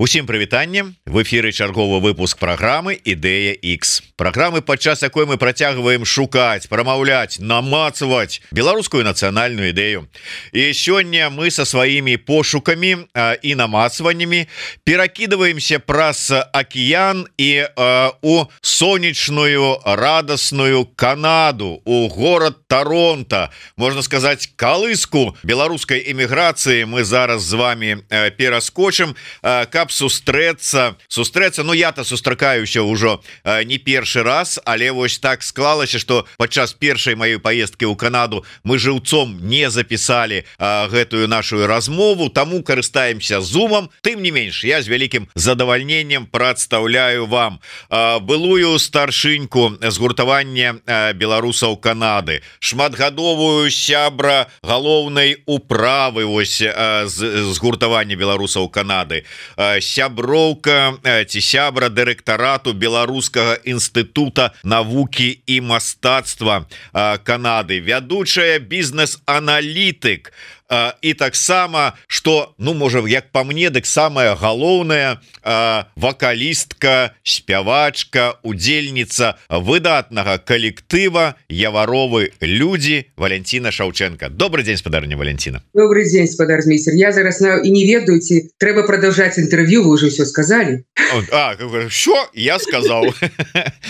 Усім прывітанне, в эфіры чарговы выпуск праграмы Ідэя X. Праграмы, падчас якой мы працягваем шукаць, прамаўляць, намацаваць беларускую нацыянальную ідэю. І сёння мы са сваімі пошукамі і намацваннямі перакідваемся праз акіян і у сонечную, радасную Канаду, у горад Торонто. Можна сказаць, калыску беларускай эміграцыі мы зараз з вами пераскочым, каб сустрэцца, ну я-то сустракаюся ўжо не першы раз, але вось так склалася, што падчас першай маёй паездкі ў Канаду мы жыўцом не запісалі гэтую нашу размову, таму карыстаемся зумам. Тым не менш, я з вялікім задавальненнем прадстаўляю вам былую старшыньку згуртавання беларусаў Канады, шматгадовую сябра галоўнай управы вось згуртавання беларусаў Канады, сяброўка ці сябра дырэктарату Беларускага інстытута навукі і мастацтва Канады, вядучая бізнес-аналітык. І таксама, што, ну, можа, як па мне, дык самая галоўная вакалістка, спявачка, удзельніца выдатнага калектыва «Яваровы людзі» Валянціна Шаўчэнка. Добрый дзень, спадарня Валянціна. Добрый дзень, спадармейстер. Я зараз і не ведаю, ці трэба прадаўжаць інтэрв'ю, вы ўжо ўсё сказалі. Що? Я сказаў.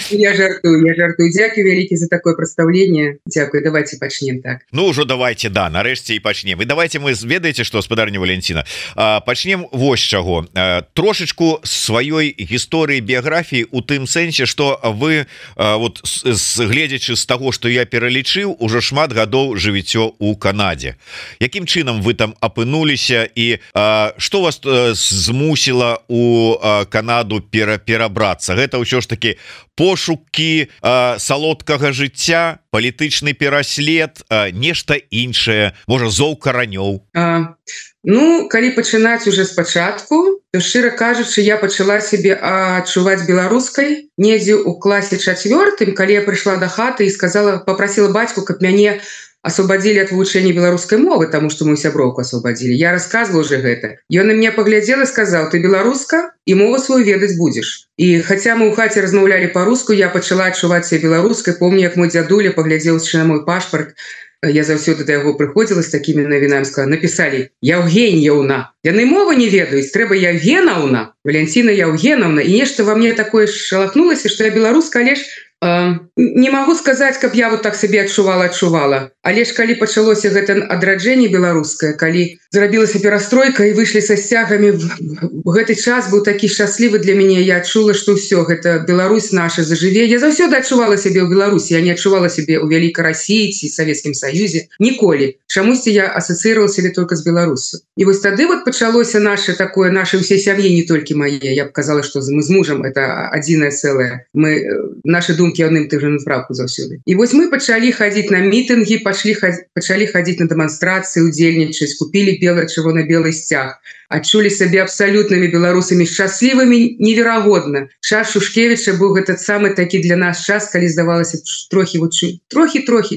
Я жартую. Дзякуй вялікі за такое прадстаўленне. Дзякуй, давайте пачнем так. Ну, ўжо давайте, да, нарэшце і пачнем. Давайте мы ведаеце, што, спадарня Валянціна, пачнем вось чаго. Трошечку сваёй гісторыі біяграфіі у тым сэнсе, што вы, вот, гледзячы з таго, што я пералічыў, ужо шмат гадоў жывіццё ў Канадзе. Якім чынам вы там апынуліся і што вас змусіла у Канаду перабрацца? Гэта ўсё ж такі пошукі салодкага жыцця, палітычны пераслед, нешта іншае, можа, зоў каранёў? Ну, калі пачынаць уже спачатку, то, шчыра кажучы, я пачала сябе адчуваць беларускай недзе ў класе 4, калі я прыйшла да хаты і папрасіла бацьку, каб мяне освободили от вывучэння беларускай мовы, таму што мою сяброўку освободили. Я рассказывала уже гэта. Ён на меня поглядел и сказал: ты беларуска, и мову свою ведаць будешь. И хотя мы ў хаце размаўлялі по-руску, я пачала адчуваць себя беларускай. Помню, як мой дзядуля поглядел на мой пашпарт. Я заўсёды да яго прыходзіла з такімі навінамі, сказала: написали Яўгеньяўна. Яны мовы не ведаюць, трэба Яўгенаўна, Валянціна Яўгенаўна. І нешта во мне такое шалахнулася, што я беларуска, але ж не могу сказаць, каб я вот так себе адчувала. Але ж калі пачалося гэта адраджэнне беларускае, калі зрабілася перастройка і выйшлі са сцягамі, гэты час быў такі шчаслівы для мяне. Я адчула, што ўсё, гэта Беларусь наша зажыве. Я заўсёды адчувала сябе ў Беларусі, я не адчувала сябе ў вялікай Расіі ці Савецкім Саюзе. Ніколі. Чамусьці я асацыировала сябе только з Беларусю. І вось тады вот пачалося наше ўсей сям'і, не толькі мае. Я б казала, што мы з мужам это адзінае цэлае. Мы нашы думкі адным тым жа напрамку заўсёды. І вось мы пачалі хадзіць на мітынгі, пачалі хадзіць на дэманстрацыі, удзельнічаць, купілі чырвона-белы сцяг, адчулі сабе абсалютнымі беларусамі, шчаслівымі неверагодна. Час Шушкевіча быў гэта самы такі для нас час, калі здавалася трохі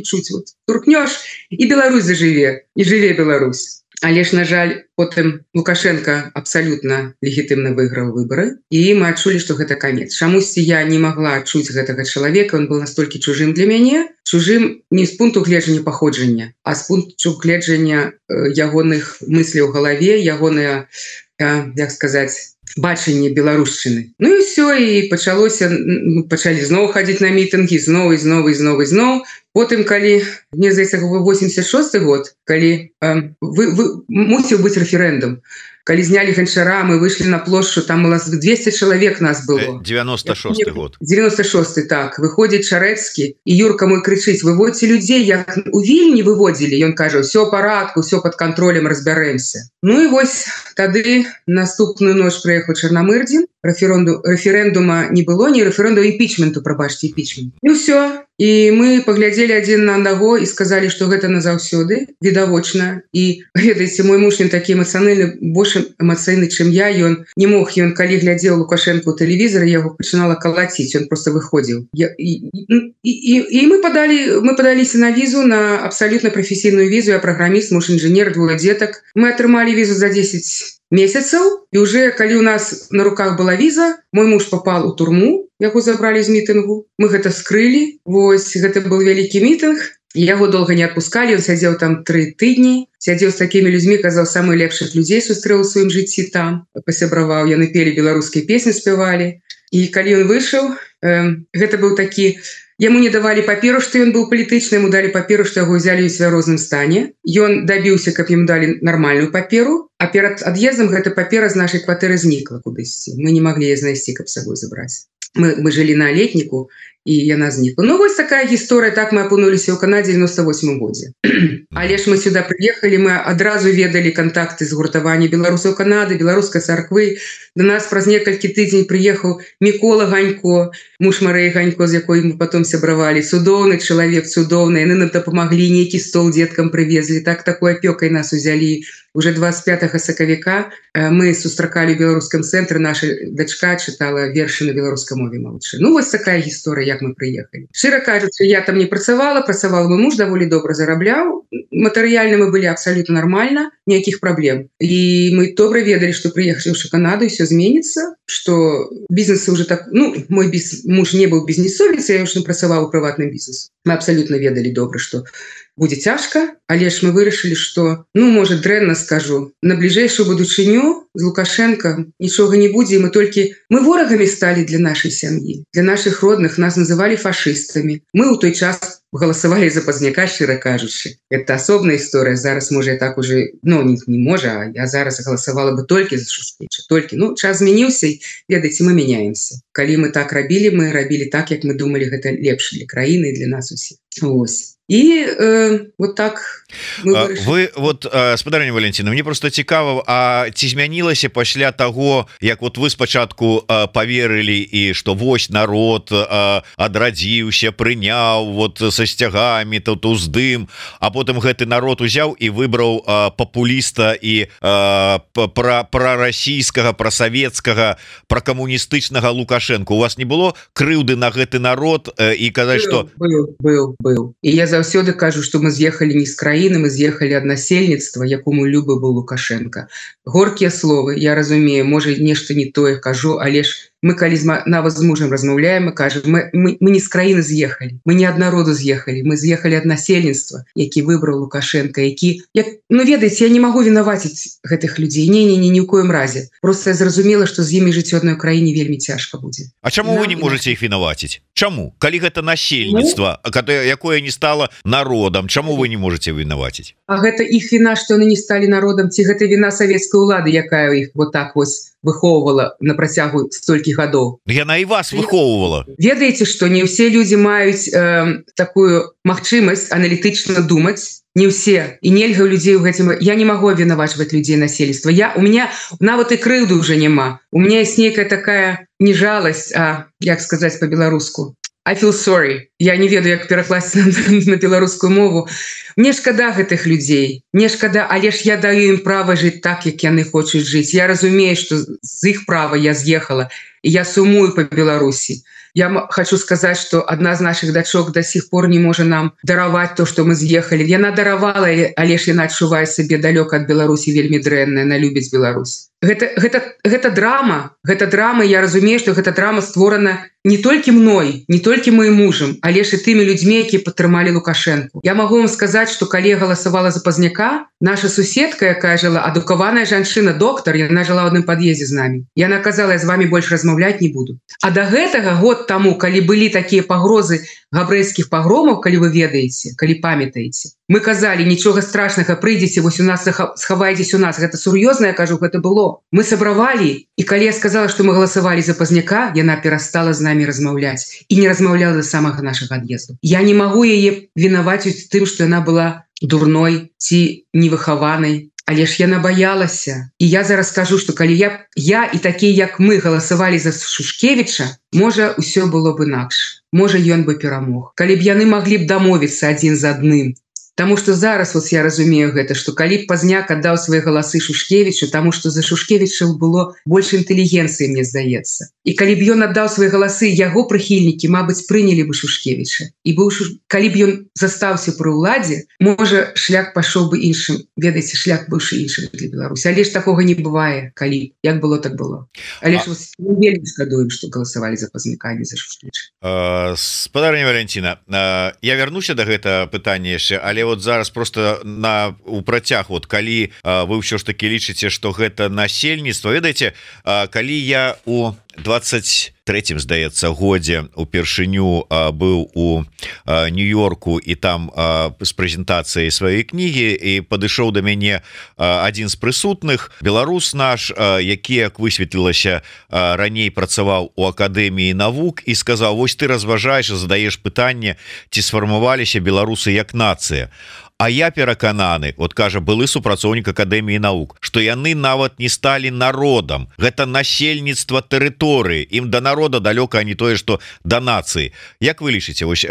чуць, вот туркнёш, і Беларусь зажыве, і жыве Беларусь. Але ж, на жаль, потым Лукашенко абсалютна легітымна выйграў выбары, і мы адчулі, што гэта канец. Чамусьці я не магла адчуць гэтага чалавека, ён был настолькі чужым для мяне, чужым не з пункту гледжання паходжання, а з пункту гледжання ягоных мысляў у галаве, ягоныя, як сказаць, бачанне беларушчыны. Ну і ўсё, і пачалі зноў хадзіць на мітынгі, зноў. Потым, калі, мне здаецца, 86 год, калі мусіў быць рэферэндум, калі знялі ганчара, мы выйшлі на плошчу, там у нас 200 чалавек нас было. 96 год. 96, так. Выходзіць Шарэцкі, і Юрка мой крычыць: выводзьце людзей, як у Вільні выводзілі. Ён кажа: ўсё ў парадку, ўсё пад кантролем, разбярэмся. Ну і вось тады наступную ноч прыехаў Чарнамырдзін, рэферэндума не было, не рэферэндум, імпічменту, прабачце, імпічмент. І ўсё. І мы паглядзелі адзін на аднаго і сказалі, што гэта назаўсёды, відавочна. І ведаеце, мой муж, ён такі эмацыянальны, больш эмацыйны, чым я. Ён не мог, ён калі глядзеў Лукашенко ў тэлевізары, яго пачынала калаціць, ён просто выходзіў. І мы падаліся на візу, на абсалютна прафесійную візу. Я праграміст, муж інжынер, двое дзетак. Мы атрымалі візу за 10 месяцаў, і уже калі у нас на руках была віза, мой муж попал у турму, яго забралі з мітынгу, мы гэта скрылі. Вось гэта был вялікі мітынг, яго доўга не адпускалі, ён сядзеў там 3 тыдні, сядзеў з такімі людзьмі, казаў, самых лепшых людзей сустрэў у сваім жыцці там, пасябраваў, яны пелі беларускія песні, спявалі. І калі ён выйшаў, гэта быў такі, яму не давалі паперу, што ён быў палітычны, яму далі паперу, што яго ўзялі ў свярозным стане. Ён дабіўся, каб ім далі нармальную паперу, а перад ад'ездам гэта папера з нашай кватэры знікла кудысьці. Мы не маглі яе знайсці, каб з сабой забраць. Мы жылі на летніку, і яна знікла. Ну, вось такая гісторыя, так мы апынуліся ў Канадзе ў 98 годзе. Але ж мы сюда прыехалі, мы адразу ведалі кантакты з гуртавання беларусаў Канады, беларускай царквы. До нас праз некалькі тыдзень прыехаў Мікола Ганько, муж Марыі Ганько, з якой мы потом сябравалі. Цудоўны чалавек, цудоўны. Яны нам дапамаглі, нейкі стол дзеткам прывезлі. Так такой апёкай нас узялі. Уже 25 сакавіка мы сустракалі ў беларускім цэнтры, наша дачка чытала вершы на беларускай мове малодшай. Ну, вось такая гісторыя, як мы прыехалі. Шчыра кажучы, я там не працавала, мой муж даволі добра зарабляў. Матэрыяльна мы былі абсалютна нармальна, ніякіх праблем. І мы добра ведалі, што прыехаўшы ў Канаду, ўсё зменіцца, што бізнесы уже так... Ну, мой муж не быў бізнесовец, я ўжо працаваў у прыватным бізнесе. Мы абсалютна ведалі добра, што будзе цяжка, але ж мы вырашылі, што, ну, можа, дрэнна скажу, на бліжэйшую будучыню з Лукашенко нічога не будзе, і мы ворагамі сталі для нашай сям'і, для нашых родных, нас называлі фашыстамі. Мы ў той час галасавалі за Пазняка, шчыра кажучы. Это асобная гісторыя, зараз, можа, я так уже, ну, не можа, а я зараз галасавала бы толькі за Шушкевіча, толькі. Ну, час змяніўся, і, ведаеце, мы мяняемся. Калі мы так рабілі, мы рабілі так, як мы думалі, гэта лепш для краіны і для нас усіх. Ось. І вот так вы вот, спадарня Валентина, мне просто цікава, а ці змянілася пасля таго, як вот вы спачатку поверылі, і што вось народ адрадзіўся, прыняў вот са сцягамі, тут уздым, а потым гэты народ узяў і выбраў папуліста і прарасійскага, прасавецкага, пракамуністычнага Лукашенко. У вас не было крыўды на гэты народ і казаць, што... Быў. І я заўсёды кажу, што мы з'ехалі не з краіны, мы з'ехалі ад насельніцтва, якому любы быў Лукашенко. Горкія словы, я разумею, можа, нешта не тое кажу, але ж мы калі нават з мужам размаўляем, мы кажам, мы не з краіны з'ехалі, мы не ад народу з'ехалі, мы з'ехалі ад насельніцтва, які выбраў Лукашенко, які... Ну, ведаеце, я не магу вінаваціць гэтых людзей, ні ў коім разе. Просто я зразумела, што з імі жыць у адной краіне вельмі цяжка будзе. А чаму вы не можаце іх вінаваціць? Чаму? Калі гэта насельніцтва, якое не стало народам, чаму вы не можаце вінаваціць? А гэта іх віна, што яны не сталі народам, ці гэта віна савецкай улады, якая іх вот так вось выхоўвала на працягу столькі гадоў. Яна і вас выхоўвала. Ведаеце, што не ўсе людзі маюць такую магчымасць аналітычна думаць, не ўсе, і нельга ў людзей у гэтым... Я не магу абвінавачваць людзей насельніцтва. У меня нават і крыўды ўжо няма. У меня есть нейкая такая не жаласць, а як сказаць по-беларуску? I feel sorry. Я не ведаю, як перакласці на беларускую мову. Мне шкада гэтых людзей. Мне шкада, але ж я даю ім права жыць так, як яны хочуць жыць. Я разумею, што з іх права я з'ехала, і я сумую па Беларусі. Я хочу сказаць, што адна з наших дачок до сих пор не можа нам дараваць то, што мы з'ехалі. Яна даравала, але ж яна адчувае сабе далёка ад Беларусі вельмі дрэнна, яна любіць Беларусь. Гэта драма, я разумею, што гэта драма створана не толькі мной, не толькі моим мужам, але ж і тымі людзьмі, якія падтрымалі Лукашенко. Я магу вам сказаць, што калі я галасавала за Пазняка, наша суседка, якая жыла, адукаваная жанчына, доктар, яна жыла ў адным пад'ездзе з намі. Яна казала, я з вами больш размаўляць не буду. А да гэтага год таму, калі былі такія пагрозы габрэйскіх пагромаў, калі вы ведаеце, калі памятаеце, мы казалі, нічога страшнага, прыйдзеце, вось у нас схавайцесь у нас. Гэта сур'ёзна, я кажу, гэта было. Мы сабравалі, і калі я сказала, што мы галасавалі за Пазняка, яна перастала з намі размаўляць і не размаўляла да самага нашага ад'езду. Я не магу яе вінаваціць тым, што яна была дурной ці невыхаванай, але ж яна баялася. І я зараз скажу, што калі я і такія, як мы, галасавалі за Шушкевіча, можа, усё было б інакш. Можа, ён бы перамог. Калі б яны маглі б дамовіцца адзін з адным. Таму што зараз вот я разумею гэта, што калі б Пазняк аддаў свае галасы Шушкевічу, таму што за Шушкевіча было больш інтэлігенцыі, мне здаецца. і калі б ён аддаў свае галасы, яго прыхільнікі мабыць прынялі бы Шушкевіча, і калі б ён застаўся пры ўладзе, можа шлях пайшоў бы іншым, ведаеце, шлях быўшы іншым для Беларусі, але ж такога не бывае, калі як было, так было. Але ж вельмі шкадуем, што галасавалі за Пазмікані, за Шушкевіча. Спадарня Валентина, я вярнуся да гэта пытання яшчэ, але вот зараз просто у працяг, вот калі вы ўсё ж таки лічыце, што гэта насельніцтва, ведаеце, калі я у 23-м, здаецца, годзе упершыню быў у Нью-Йорку і там з прэзентацыяй сваёй кнігі, і падышоў да мяне адзін з прысутных, беларус наш, які, як высветлілася, раней працаваў у Акадэміі навук, і сказаў: вось ты разважаеш, задаеш пытанне, ці сфармаваліся беларусы як нацыя. А я перакананы, вот кажа былы супрацоўнік Акадэміі навук, што яны нават не сталі народам. Гэта насельніцтва тэрыторыі. Ім да народа далёка, а не тое, што да нацыі. Як вы лічыце, вось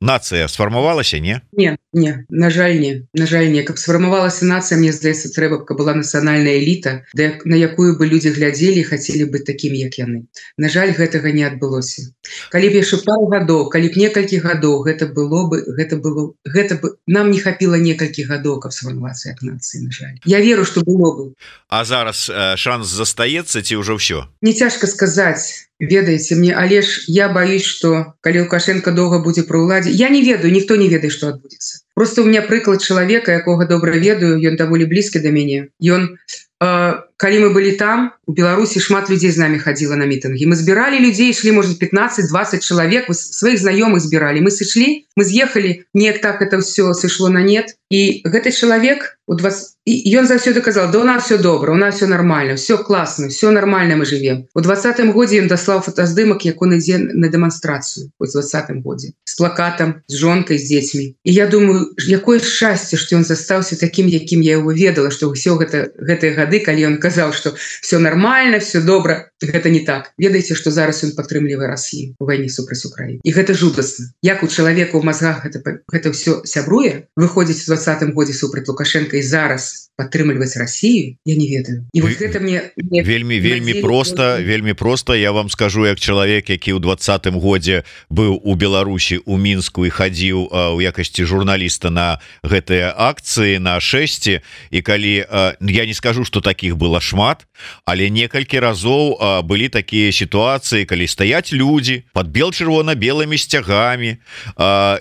нацыя сфармавалася, не? Не, на жаль, не. На жаль, не. Каб сфармавалася нацыя, мне здаецца, трэба, каб была нацыянальная эліта, на якую бы людзі глядзелі і хацелі быць такімі, як яны. На жаль, гэтага не адбылося. Калі б яшчэ пару гадоў, калі б некалькі гадоў, гэта бы нам не хапіла некалькі гадоў, каб сфармавацца як нацыі, на жаль. Я веру, што было бы. А зараз шанс застаецца ці ўжо ўсё? Не цяжка сказаць. Ведаеце мне, але ж я баюсь, што калі Лукашенко доўга будзе пры ўладзе, я не ведаю, ніхто не ведае, што адбудзецца. Просто у меня прыклад чалавека, якога добра ведаю, ён даволі блізкі да мяне. Ён, калі мы былі там, у Беларусі шмат людзей з намі хадзіла на мітынгі. Мы збіралі людзей, ішлі, можа, 15-20 чалавек, сваіх знаёмых збіралі. Мы сышлі, мы з'ехалі, неяк так это ўсё сышло на нет. І гэты чалавек, ён заўсёды казал: да у нас все добра, у нас все нормально, все класна, все нормально, мы живем. У 20-м годзе ён даслаў фотаздымак, як он ідзе на дэманстрацыю, у 20-м годзе, з плакатам, з жонкай, з дзецьмі. І я думаю, якое шчасце, што ён застаўся такім, якім я его ведала, што ўсё гэтыя гады, калі ён казаў, што все нормально, все добра, гэта не так. Ведаеце, што зараз ён падтрымлівае Расію у вайне супраць Украіны. І гэта жудасна. Як у чалавека ў мазгах гэта ўсё сябруе, выходзіць у 20-м годзе супраць Лукашенка і зараз падтрымліваць Расію, я не ведаю. І вот гэта мне вельмі проста, я вам скажу, як чалавек, які ў 20-м годзе быў у Беларусі, у Мінску, і хадзіў у якасці журналіста на гэтыя акцыі, на шэсці, і калі, я не скажу, што такіх было шмат, але некалькі разоў былі такія сітуацыі, калі стаяць людзі пад бел-чырвона-белымі сцягамі,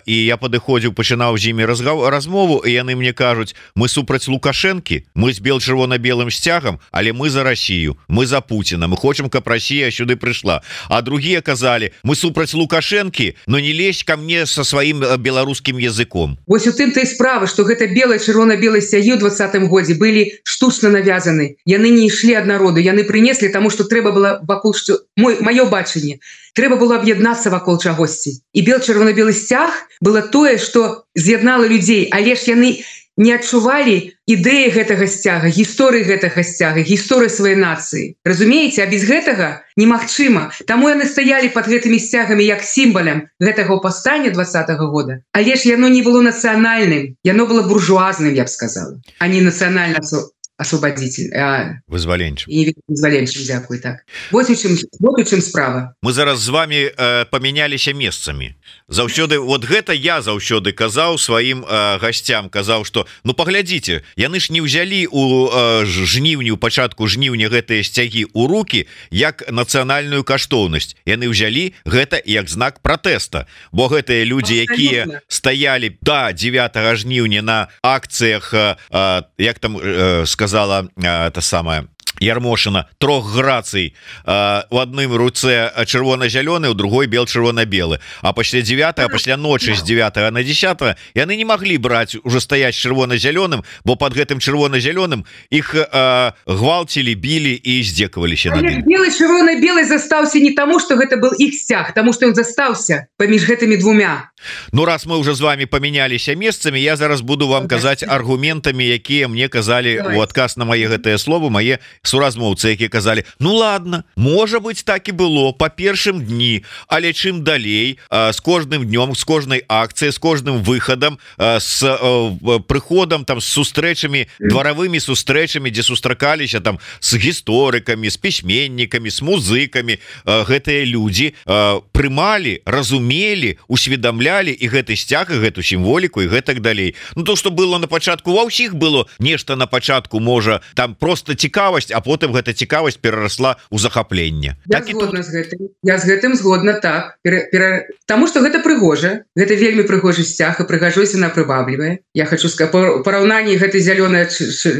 і я падыходзіў, пачынаў з імі размову, і яны мне кажуць: мы супраць Лукашэнкі, мы з бел-чырвона-белым сцягам, але мы за Расію, мы за Пуціна, мы хочам, каб Расія сюды прыйшла. А другія казалі: мы супраць Лукашэнкі, но не лезь ко мне со сваім беларускім языком. Вось у тым-то і справа, што гэта белае, чырвона-белыя сцягі ў 20-м годзе былі штучна навязаны. Яны не ішлі ад народу, яны прынеслі, таму што трэба было вакол, што маё бачанне, трэба было аб'яднацца вакол чагосьці. І бел-чырвона-белы сцяг было тое, што з'яднала людзей, але ж яны не адчувалі ідэі гэтага сцяга, гісторыі гэтага сцяга, гісторыі сваёй нацыі. Разумееце, а без гэтага немагчыма. Таму яны стаялі пад гэтымі сцягамі як сімвалем гэтага паўстання 20-го года. Але ж яно не было нацыянальным, яно было буржуазным, я б сказала, а не нацыянальна освободитель, вызваленчым. Дзякуй, так. Вот у чым справа. Мы зараз з вами памяняліся месцамі. Заўсёды, вот гэта я заўсёды казаў сваім гасцям, казаў, што ну паглядзіце, яны ж не ўзялі у жніўні, у пачатку жніўня гэтыя сцягі ў рукі як нацыянальную каштоўнасць. Яны ўзялі гэта як знак пратэста, бо гэтыя людзі, якія стаялі да 9 жніўня на акцыях, як там сказала та самая Ярмошина, 3 грацый, у адным руцэ чырвона-зялёны, у другой бел-чырвона-белы, а пасля 9, а пасля ночы з 9 на 10 яны не маглі браць, уже стаяць чырвона-зялёным, бо под гэтым чырвона-зялёным іх гвалцілі, білі і здзекаваліся над ім. Белы, чырвона-белы застаўся не таму, што гэта был іх сцяг, таму што ён застаўся паміж гэтымі двумя. Ну раз мы уже з вами памяняліся месцамі, я зараз буду вам казаць аргументамі, якія мне казалі у адказ на мае гэтыя словы мае суразмоўцы, якія казалі: ну ладно, можа быть, так і было па першым дні, але чым далей з кожным днём, з кожнай акцыяй, з кожным выхадам, з прыходам там, з сустрэчамі, дваравымі сустрэчамі, дзе сустракаліся там з гісторыкамі, з пісьменнікамі, з музыкамі, гэтыя людзі прымалі, разумелі, усведамлялі і гэты сцяг, і гэту сімволіку, і гэтак далей. Ну то, што было на пачатку, ва ўсіх было нешта на пачатку, можа там просто цікавасць, а потым гэта цікавасць перарасла ў захапленне. Я згодна з гэтым. Я з гэтым згодна, так. Таму што гэта прыгожа, гэта вельмі прыгожы сцяг, і прыгажосць яна прываблівае. Я хочу сказаць, параўнанні гэты зялёны,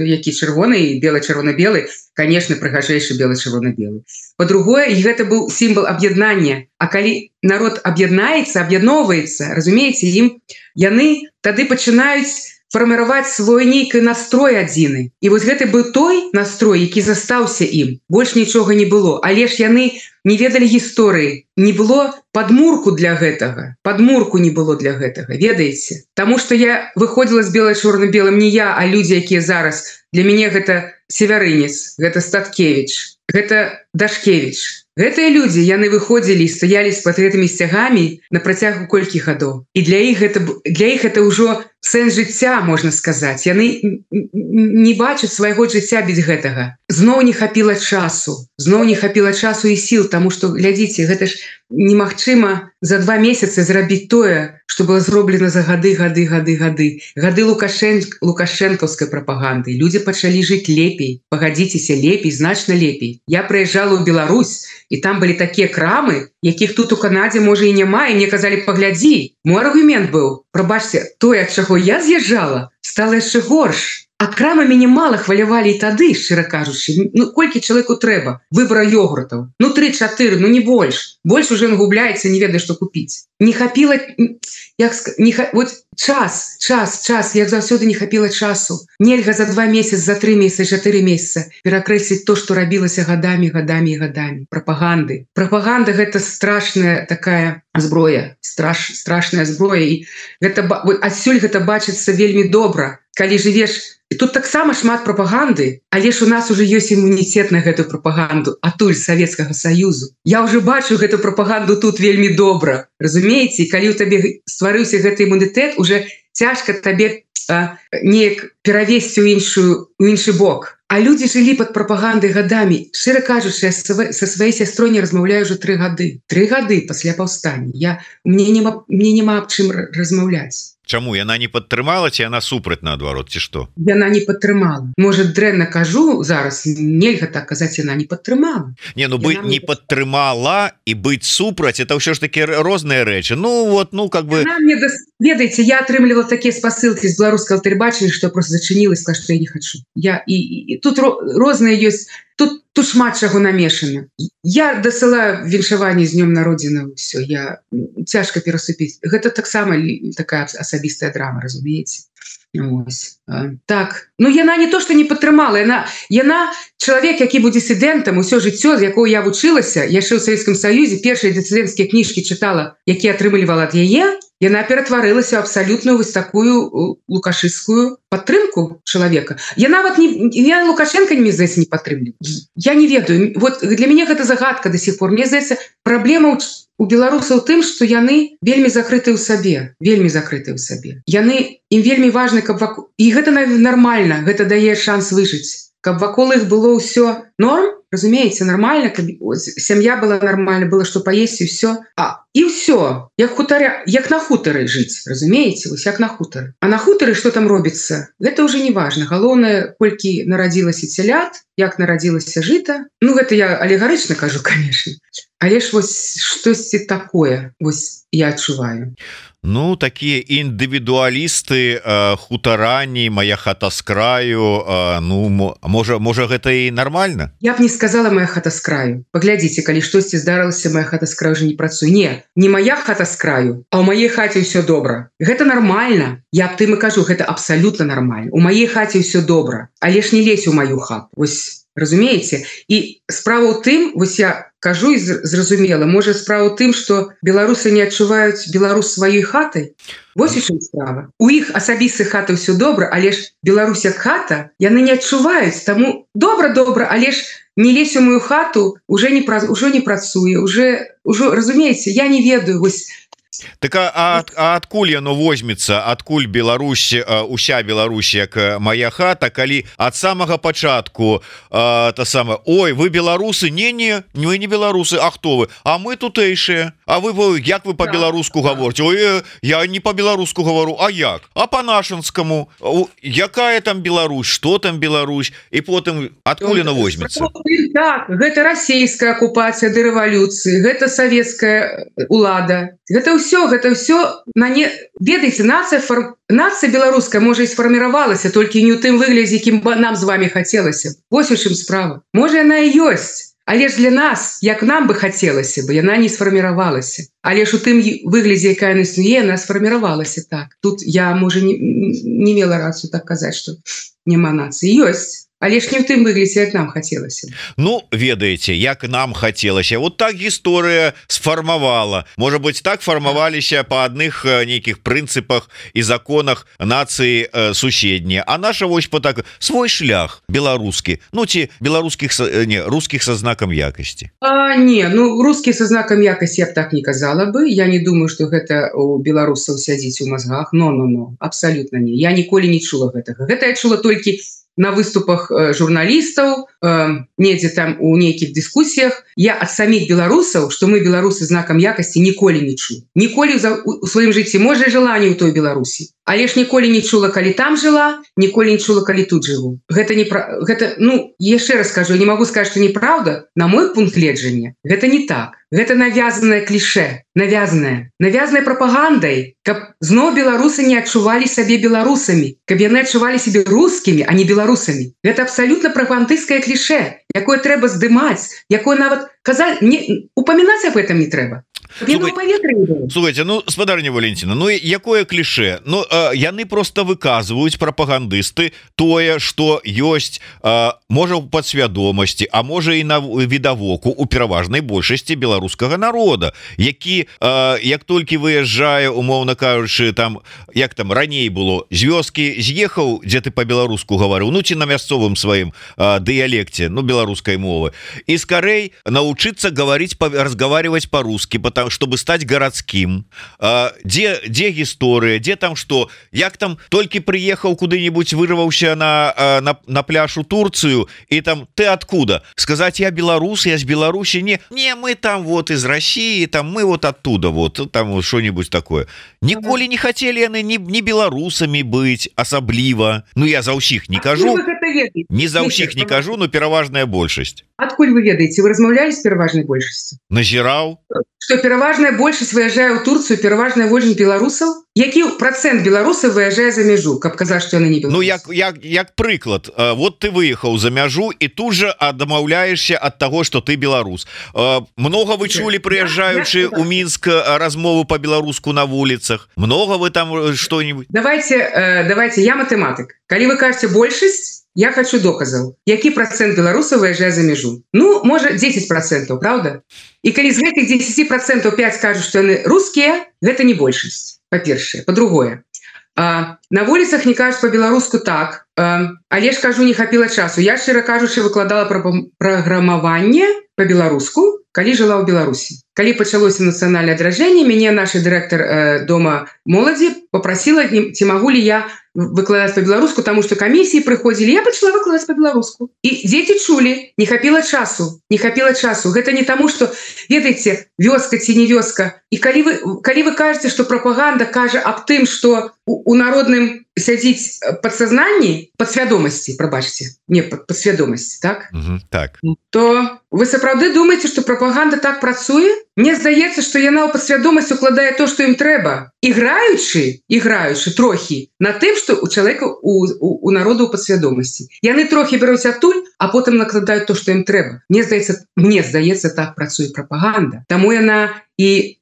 які чырвоны і белы-чырвона-белы, конечно, прыгажэйшы белы-чырвона-белы. Па-другое, і гэта быў сімвал аб'яднання. А калі народ аб'яднаецца, аб'ядноўваецца, разумееце, яны тады пачынаюць фарміраваць свой нейкі настрой адзіны. І вось гэты быў той настрой, які застаўся ім. Больш нічога не было. Але ж яны не ведалі гісторыі. Не было падмурку для гэтага. Падмурку не было для гэтага, ведаеце? Таму што я выходзіла з бело-чорна-белым не я, а людзі, якія зараз. Для мяне гэта Севярынец, гэта Статкевіч, гэта Дашкевіч. Гэтыя людзі, яны выходзілі і стаялі з-пад гэтымі сцягамі на працягу колькі гадоў. І для іх гэта ўжо сэнс жыцця, можна сказаць. Яны не бачаць свайго жыцця без гэтага. Зноў не хапіла часу. Зноў не хапіла часу і сіл, таму што, глядзіце, гэта ж немагчыма за 2 месяцы зрабіць тое, што было зроблена за гады. Гады лукашэнкаўскай прапаганды. Людзі пачалі жыць лепей, пагадзіцеся, лепей, значна лепей. Я прыязджала ў Беларусь, і там былі такія крамы, якіх тут у Канадзе, можа, і няма, і мне казалі: паглядзі. Мой аргумент быў: прабачце, тое, ад чаго я з'язджала, стала яшчэ горш. А крамы мяне мала хвалявалі і тады, шчыра кажучы. Ну, колькі чалавеку трэба? Выбара йогуртаў. Ну, 3-4, ну не больш. Больш уже губляецца, не ведае, што купіць. Не хапіла... Вот час, як заўсёды не хапіла часу. Нельга за 2 месяцы, за 3 месяцы, 4 месяца перакрэсліць то, што рабілася гадамі. Прапаганды. Прапаганда — гэта страшная такая зброя. Страшная зброя. І адсюль гэта бачыцца вельмі добра. Калі жывеш... І тут таксама шмат прапаганды, але ж у нас уже ёсць імуніцет на гэтую прапаганду, атуль Савецкага Саюзу. Я уже бачу гэту прапаганду тут вельмі добра. Разумееце, калі ў табе стварыўся гэты імунітэт, уже цяжка табе неяк перавесці ў іншы бок. А людзі жылі пад прапагандай гадамі. Шчыра кажучы, я са сваёй сястрой не размаўляю ўжо 3 гады. 3 гады пасля паўстання. Мне няма аб чым размаўляць. Чаму? Яна не падтрымала, ці яна супраць, наадварот, ці што? Яна не падтрымала. Можа, дрэнна кажу зараз, нельга так казаць, яна не падтрымала. Не, ну быць не падтрымала і быць супраць, это ўсё ж такі розныя рэчы. Ну вот, ну как бы... Ведаеце, я атрымлівала такія спасылкі з беларускага тэлебачання, што я просто зачыніла і сказала, што я не хачу. І тут розныя ёсць, тут шмат чаго намешана. Я дасылаю віншаванне з днём народзінаў, усё, я цяжка перасупіць. Гэта таксама такая асабістая драма, разумееце? Так, ну яна не то, што не падтрымала, яна чалавек, які быў дысідэнтам усё жыццё, з якого я вучылася, яшчэ ў Савецкім Саюзе, першыя дысідэнцкія кніжкі чытала, якія атрымлівала ад яе, яна ператварылася ў абсалютную вось такую лукашысцкую падтрымку чалавека. Я нават я Лукашенка, мне здаецца, не падтрымліваю. Я не ведаю. Вот для мяне гэта загадка до сих пор. Мне здаецца, праблема у беларусаў тым, што яны вельмі закрытыя ў сабе, ім вельмі важна, каб вакол... І гэта нармальна, гэта дае шанс выжыць. Каб вакол іх было ўсё норм, разумееце, нормально, каб сям'я была нормальна, было што паесці, ўсё. І ўсё, як на хутары жыць, разумееце, вось як на хутары. А на хутары што там робіцца? Гэта ўжо не важна. Галоўнае, колькі нарадзілася цялят, як нарадзілася жыта. Ну, гэта я алегарычна кажу, конечно. Але ж вось штосьці такое, вось я адчуваю. Ну, такія індывідуалісты, хутарані, мая хата з краю, ну, можа гэта і нармальна? Я б не сказала моя хата з краю. Паглядзіце, калі штосьці здарылася, моя хата з краю уже не працуе. Не моя хата з краю, а ў маей хаце ўсё добра. Гэта нармальна. Я б тым і кажу, гэта абсалютна нармальна. У маей хаце ўсё добра. Але ж не лезь у маю хату. Вось разумееце, і справа ў тым, вось я кажу і зразумела, можа справа ў тым, што беларусы не адчуваюць Беларусь сваёй хатай. Вось у чым справа. У іх асабістых хата ўсё добра, але ж Беларусь як хата яны не адчуваюць, таму добра, але ж не лезь у мою хату уже не працуе, уже разумееце, я не ведаю, вось. Так адкуль яно возьмецца, адкуль Беларусь, уся Беларусь як моя хата, калі ад самага пачатку ой, вы беларусы, не вы не беларусы, а хто вы? А мы тутэйшыя. А вы як вы по-беларуску гаворыце? Ой, я не по-беларуску гавару, а як? А по-нашанскаму? Якая там Беларусь, што там Беларусь? І потым адкуль яно возьмецца? Так, гэта расійская акупацыя да рэвалюцыі, гэта савецкая улада. Гэта ўсё ведаеце, нацыя беларуская можа і сфарміравалася, толькі не ў тым выглядзе, якім нам з вами хацелася. Вось у чым справа. Можа яна і ёсць, але ж для нас, як нам бы хацелася бы, яна не сфарміравалася. Але ж у тым выглядзе, якая яна існуе, яна сфарміравалася так. Тут я, можа, не мела рацыю так казаць, што няма нацыі. Ёсць. Але ж не ў тым выглядзе, як нам хацелася. Ну, ведаеце, як нам хацелася. Вот так гісторыя сфармавала. Можа быць, так фармаваліся па адных нейкіх прынцыпах і законах нацыі суседнія. А наша вось по так свой шлях беларускі. Ну, ці беларускіх, рускіх са знакам якасці. Рускі са знакам якасці я б так не казала бы. Я не думаю, што гэта у беларусаў сядзіць у мазгах. Абсалютна не. Я ніколі не чула гэтага. Гэта я чула толькі на выступах журналістаў, недзе там у нейкіх дыскусіях. Я ад саміх беларусаў, што мы беларусы знакам якасці, ніколі не чу. Ніколі у сваім жыцці, можа, жыла не ў той Беларусі. Але ж ніколі не чула, калі там жыла, ніколі не чула, калі тут жыву. Яшчэ раз кажу, я не магу сказаць, што неправда, на мой пункт гледжання, гэта не так. Гэта навязанае кліше, навязанае прапагандай, каб зноў беларусы не адчувалі сабе беларусамі, каб яны адчувалі сябе рускімі, а не беларусамі. Гэта абсалютна прапагандысцкае кліше, якое трэба здымаць, якое нават казаць, упамінаць аб гэтым не трэба. Слухайте, спадарня Валентина, якое кліше? Яны просто выказваюць, прапагандысты, тое, што ёсць, можа, у падсвядомасці, а можа і на відавоку у пераважнай большасці беларускага народа, які, як толькі выязджае, умоўна кажучы, як там раней было, з вёскі з'ехаў, дзе ты па-беларуску гаварыў, ці на мясцовым сваім дыялекце, беларускай мовы, і скарэй навучыцца разговаривать по-русски, чтобы стать городским. Где гісторыя, где там что, як там толькі приехал куды-нибудь, вырваўся на пляж у Турцию, и там ты откуда? Сказать, я белорус, я с Беларуси? Не, мы там вот из России, там мы вот оттуда, вот там вот что-нибудь такое. Ніколі не хотели яны не беларусамі быть асабліва. Я за ўсіх не кажу, не за ўсіх не кажу, но пераважная большасць. Адкуль вы ведаеце, вы размаўлялі з пераважнай большасцю? Назіраў, што пераважная большасць выязджае ў Турцыю, пераважная большасць беларусаў? Які працэнт беларусаў выязджае за мяжу, каб казаць, што яны не беларусы? Як прыклад, вот ты выехаў за мяжу і тут же адмаўляешся ад таго, што ты беларус. Много вы чулі, прыязджаючы ў Мінск, размову по-беларуску на вуліцах? Много вы там што-нибудь? Давайте, я матэматык. Калі вы кажаце большасць, я хочу доказаў. Які працэнт беларусаў выязджае за мяжу? Можа, 10%, правда? І калі з гэтых 10% 5 кажуць, што яны рускія, гэта не большасць, па-першае. Па-другое, на вуліцах не кажуць по-беларуску так, але ж кажу, не хапіла часу. Я, шчыра кажучы, выкладала праграмаванне по-беларуску, калі жыла ў Беларусі. Калі пачалося нацыянальнае адраджэнне, мяне наш дырэктар дома моладзі папрасіла, ці магу ли я выкладаць по-беларуску, таму што камісіі прыходзілі, я пачала выкладаць по-беларуску. І дзеці чулі, не хапіла часу. Гэта не таму, што, ведаеце, вёска ці не вёска. І калі вы кажаце, што прапаганда кажа аб тым, што у народным сядзіць падсазнанні, падсвядомасці, прабачце, не падсвядомасці, так? Так. То вы сапраўды думаеце, што прапаганда так працуе? Мне здаецца, што яна ў падсвядомасць укладае то, што ім трэба, іграючы трохі на тым, што у чалавека, у народу ў падсвядомасці. Яны трохі бяруць адтуль, а потым накладаюць то, што ім трэба. Мне здаецца, так працуе прапаганда. Таму яна і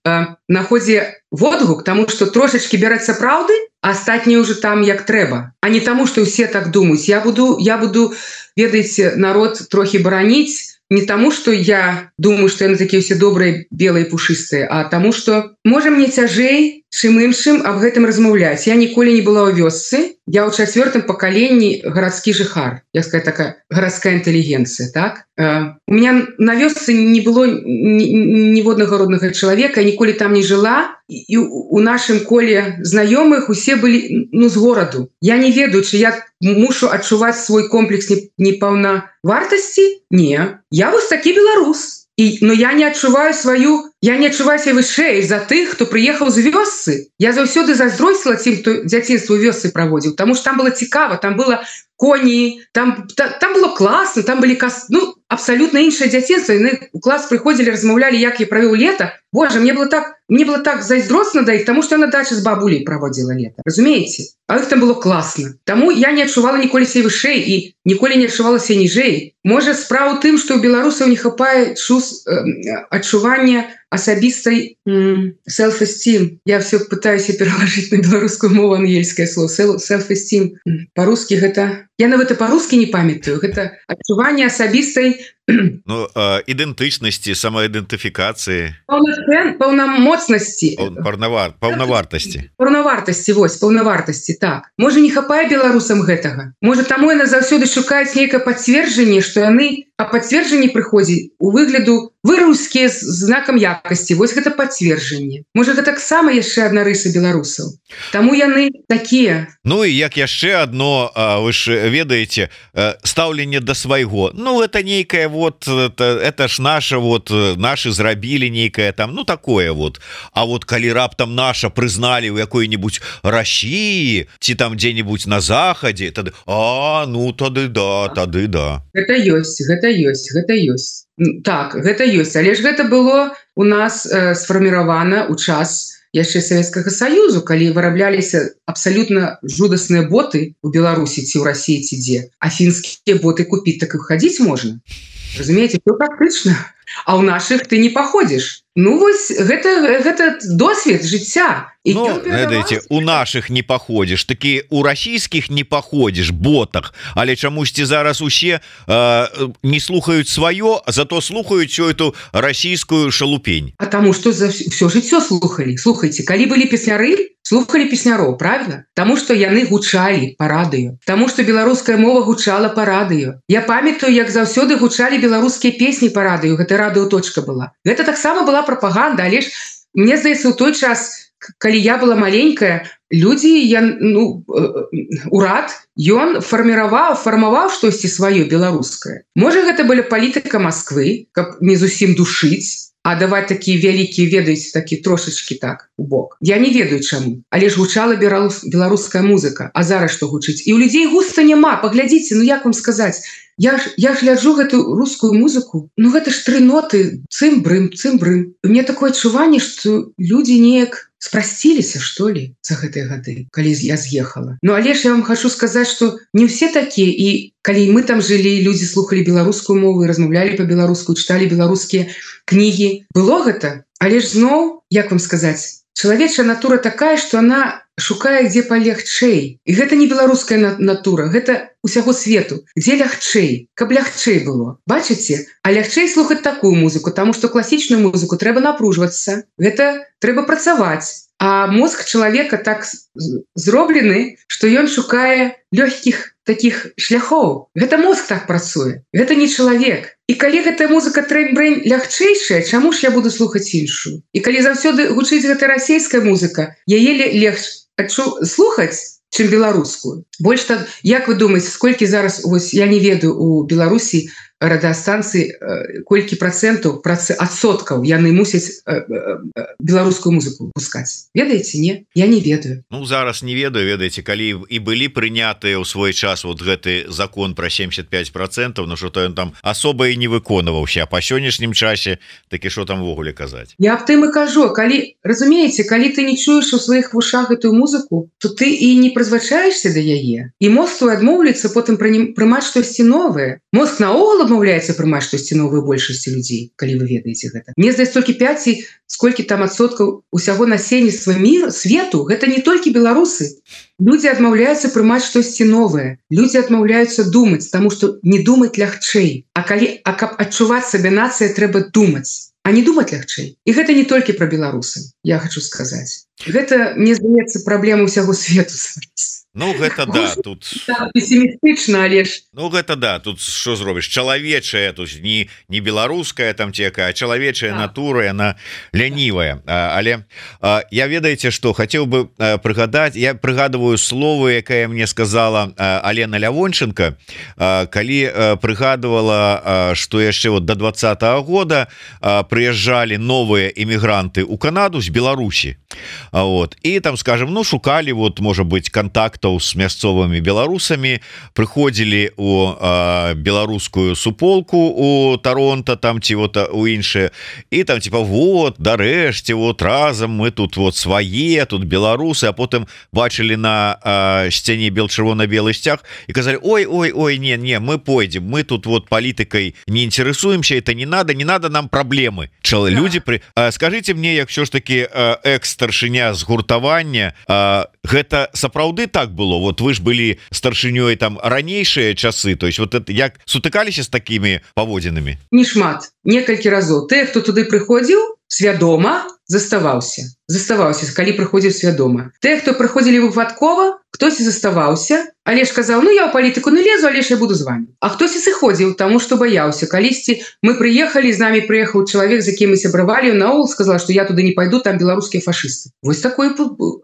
находзе водгук, таму што трошачкі бярэцца праўды, астатнія ўжо там як трэба, а не таму што ўсе так думаюць. Я буду ведаеце, народ трохі бараніць не таму што я думаю што яны такія ўсе добрыя белыя пушыстыя, а таму што можа мне цяжэй чым іншым аб гэтым размаўляць. Я ніколі не была ў вёсцы, я ў 4-м пакаленні гарадскі жыхар, як сказать, такая гарадская інтэлігенцыя, так? У меня на вёсцы не было ніводнага роднага чалавека, я ніколі там не жыла, і у нашым коле знаёмых усе былі з гораду. Я не ведаю, чи я мушу адчуваць свой комплекс непаўнавартасці? Не, я вось такі беларус. Но я не адчуваю себя вышэй за тых, хто прыехаў з вёсцы. Я заўсёды зайздросціла тым, хто дзяцінства ў вёсцы праводзіў, таму што там было цікава, там было коні, там было класна, там былі абсалютна іншае дзяцінства. Яны у клас прыходзілі, размаўлялі, як я правёў лета. Боже, мне было так зайздросна да іх, таму што я на дачы з бабуляй праводзіла лета. Разумееце? А іх там было класна. Таму я не адчувала ніколі сябе вышэй і ніколі не адчувала сябе ніжэй. Можа, справа ў тым, што ў беларусаў не хапае адчування асабістай self-esteem. Я все пытаюся пералажыць на беларускую мову ангельскае слово self-esteem. Па-рускі гэта... Я нават па-рускі не памятаю. Гэта адчуванне асабістай ідэнтычнасці, самаідэнтыфікацыі, паўнамоцнасці, паўнавартасці, так. Можа, не хапае беларусам гэтага. Можа, таму яны заўсёды шукаюць нейкае пацверджанне, што яны, а пацверджанне прыходзіць у выгляду вы рускія з знакам якасці. Вось гэта пацверджанне. Можа, гэта таксама яшчэ адна рыса беларусаў. Таму яны такія. Ну і як яшчэ адно, вы ж ведаеце, стаўленне да свайго. Ну, это нейкае это ж наши зрабілі нейкае там, такое вот. А вот калі раптам наша прызналі ў якой-нибудь России ці там дзе-нибудь на захадзе, тады тады да. Гэта ёсць. Так, гэта ёсць, але ж гэта было у нас сфарміравана ў час яшчэ Савецкага Саюзу, калі вырабляліся абсалютна жудасныя боты у Беларусі ці ў Расіі ці дзе, а фінскія боты купіць так і хадзіць можна. Разумееце, все практычна. А ў нашых ты не паходзіш. Ну вось гэта досвед жыцця. Ведаеце, у наших не паходзіш, такі у расійскіх не паходзіш ботах, але чамусьці зараз усе не слухаюць сваё, зато слухаюць всю эту расійскую шалупень. А таму што все жыццё слухалі. Слухайце, калі былі песняры, слухалі песняроў, правильно? Таму што яны гучалі па радыё. Таму што беларуская мова гучала па радыё. Я памятаю, як заўсёды гучалі беларускія песні па радыё. Гэта радыёточка была. Гэта таксама была прапаганда, але ж мне здаецца, у той час, калі я была маленькая, людзі, урад, ён фармаваў штосьці сваё беларускае. Можа, гэта была палітыка Масквы, каб не зусім душыць, а даваць такія вялікія, ведаеце, такі трошачкі так у бок. Я не ведаю чаму, але ж гучала беларуская музыка. А зараз што гучыць? І ў людзей густа няма. Паглядзіце, як вам сказаць, я ж гляджу гэту рускую музыку, гэта ж 3 ноты, цым-брым. Мне такое адчуванне, што людзі неяк спрасціліся, што ли, за гэтыя гады, калі я з'ехала. Але ж я вам хочу сказаць, што не ўсе такія, і калі мы там жылі, людзі слухалі беларускую мову, размаўлялі па-беларуску, чыталі беларускія кнігі. Было гэта, але ж зноў, як вам сказаць, чалавечая натура такая, што она шукае, дзе палегчэй. І гэта не беларуская натура, гэта усяго свету. Дзе лягчэй, каб лягчэй было. Бачыце? А лягчэй слухаць такую музыку, таму што класічную музыку трэба напружвацца. Гэта трэба працаваць. А мозг чалавека так зроблены, што ён шукае лёгкіх такіх шляхоў. Гэта мозг так працуе. Гэта не чалавек. І калі гэтая музыка трэнь-брэнь лягчэйшая, чаму ж я буду слухаць іншую? І калі заўсёды гучыць гэта расійская музыка, яе легче слухаць, чым беларускую. Больш так, як вы думаеце, сколькі зараз, я не ведаю, у Беларусі радыастанцыі, колькі адсоткаў яны мусяць беларускую музыку пускаць? Ведаеце, не? Я не ведаю. Зараз не ведаю, ведаеце, калі і былі прынятыя ў свой час гэты закон пра 75%, што то ён там асоба і не выконваўся, а па сённяшнім часе такі што там ввогуле казаць? Я аб тым і кажу, разумееце, калі ты не чуеш у сваіх вушах гэтую музыку, то ты і не прызвычаешся да яе. І мозг твой адмоўліцца потым прымаць штосьці новае. Мозг наогул адмаўляецца прымаць штосьці новую большасці людзей, калі вы ведаеце гэта. Мне здаецца, толькі 5 ці сколькі там адсоткаў усяго насельніцтва свету, гэта не толькі беларусы. Людзі адмаўляюцца прымаць штосьці новае. Людзі адмаўляюцца думаць, таму што не думаць лягчэй. А каб адчуваць сабе нацыя, трэба думаць, а не думаць лягчэй. І гэта не толькі пра беларусаў, я хочу сказаць. Гэта, мне здаецца, праблема ўсяго свету. Ну гэта да, тут пессімістычна, але ж ну гэта да, тут що зробіш, чалавечая, тут не беларуская там тека, а чалавечая натура, яна лянівая. Але я ведаеце, што хацеў бы прыгадаць, я прыгадываю словы, якая мне сказала Алена Лявонченко, калі прыгадывала, што яшчэ вот до 20-го года прыязджалі новыя эмігранты ў Канаду з Беларусі. Вот. І там, скажем, ну шукалі вот, можа быть, контактаў з мясцовымі беларусамі, прыходзілі у беларускую суполку у Торонто там ці вот у іншыя, і там типа вот дарэшце вот разам мы тут вот свае, тут беларусы, а потым бачылі на сцяне чырвона-белы сцяг і казалі ой не мы пойдем, мы тут вот палітыкай не інтарэсуемся, это не надо нам праблемы. Люди скажите мне, як все ж таки экс-старшыня згуртавання, гэта сапраўды так было? Вот вы ж былі старшынёй там ранейшыя часы, то есть вот это, як сутыкаліся з такімі паводзінамі? Не шмат, некалькі разоў. Тыя, хто туды прыходзіў свядома, заставаўся, калі прыходзіў свядома. Тыя, хто прыходзілі выпадкова, хтосьці заставаўся, але ж казаў, ну я ў палітыку не лезу, але ж я буду з вами. А хтосьці сыходзіў, таму што баяўся. Калісьці мы прыехалі, з намі прыехаў чалавек, з якім мы сябравалі, наогул сказала, што я туды не пайду, там беларускія фашысты. Вось такой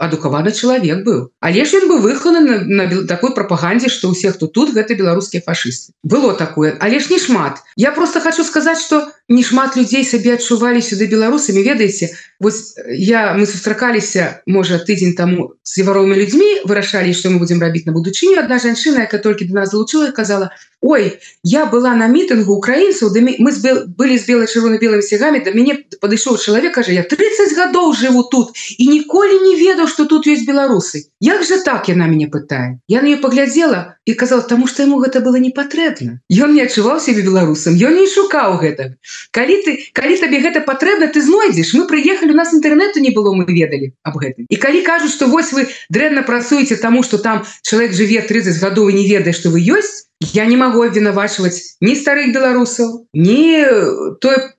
адукаваны чалавек быў. Але ж ён быў выхаваны на такой прапагандзе, што ўсе, хто тут, гэта беларускія фашысты. Было такое, але ж не шмат. Я просто хочу сказаць, што не шмат людзей сабе адчувалі сюды беларусамі. Ведаеце, вось мы сустракаліся, можа, тыдзень таму з севаровымі людзьмі, вырашалі, што мы будзем рабіць на будучыню. Адна жанчына, якая толькі до нас залучыла, казала: ой, я была на мітынгу украінцаў, мы былі з чырвона-белымі сцягамі, да мяне падышоў чалавек, кажа, я 30 гадоў жыву тут і ніколі не ведаў, што тут ёсць беларусы. Як жа так, яна мяне пытае. Я на неё паглядзела і казала, таму што яму гэта было не патрэбна. Ён не адчуваў сябе беларусам, ён не шукаў гэта. Калі табе гэта патрэбна, ты знойдзеш. Мы прыехалі, у нас інтэрнэту не было, мы ведалі аб гэтым. І калі кажуць, што вось вы дрэнна працуеце таму, што там чалавек жыве 30 гадоў і не ведае, што вы ёсць, я не магу абвінавачваць ні старых беларусаў, ні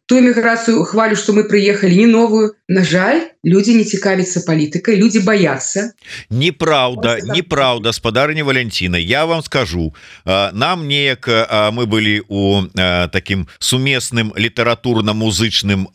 тую міграцыю хвалю, што мы прыехалі, ні новую. На жаль, людзі не цікавяцца палітыкай, людзі баяцца. Неправда, спадарыня Валянціна, я вам скажу, нам неяк мы былі у такім сумесным літаратурна-музычным,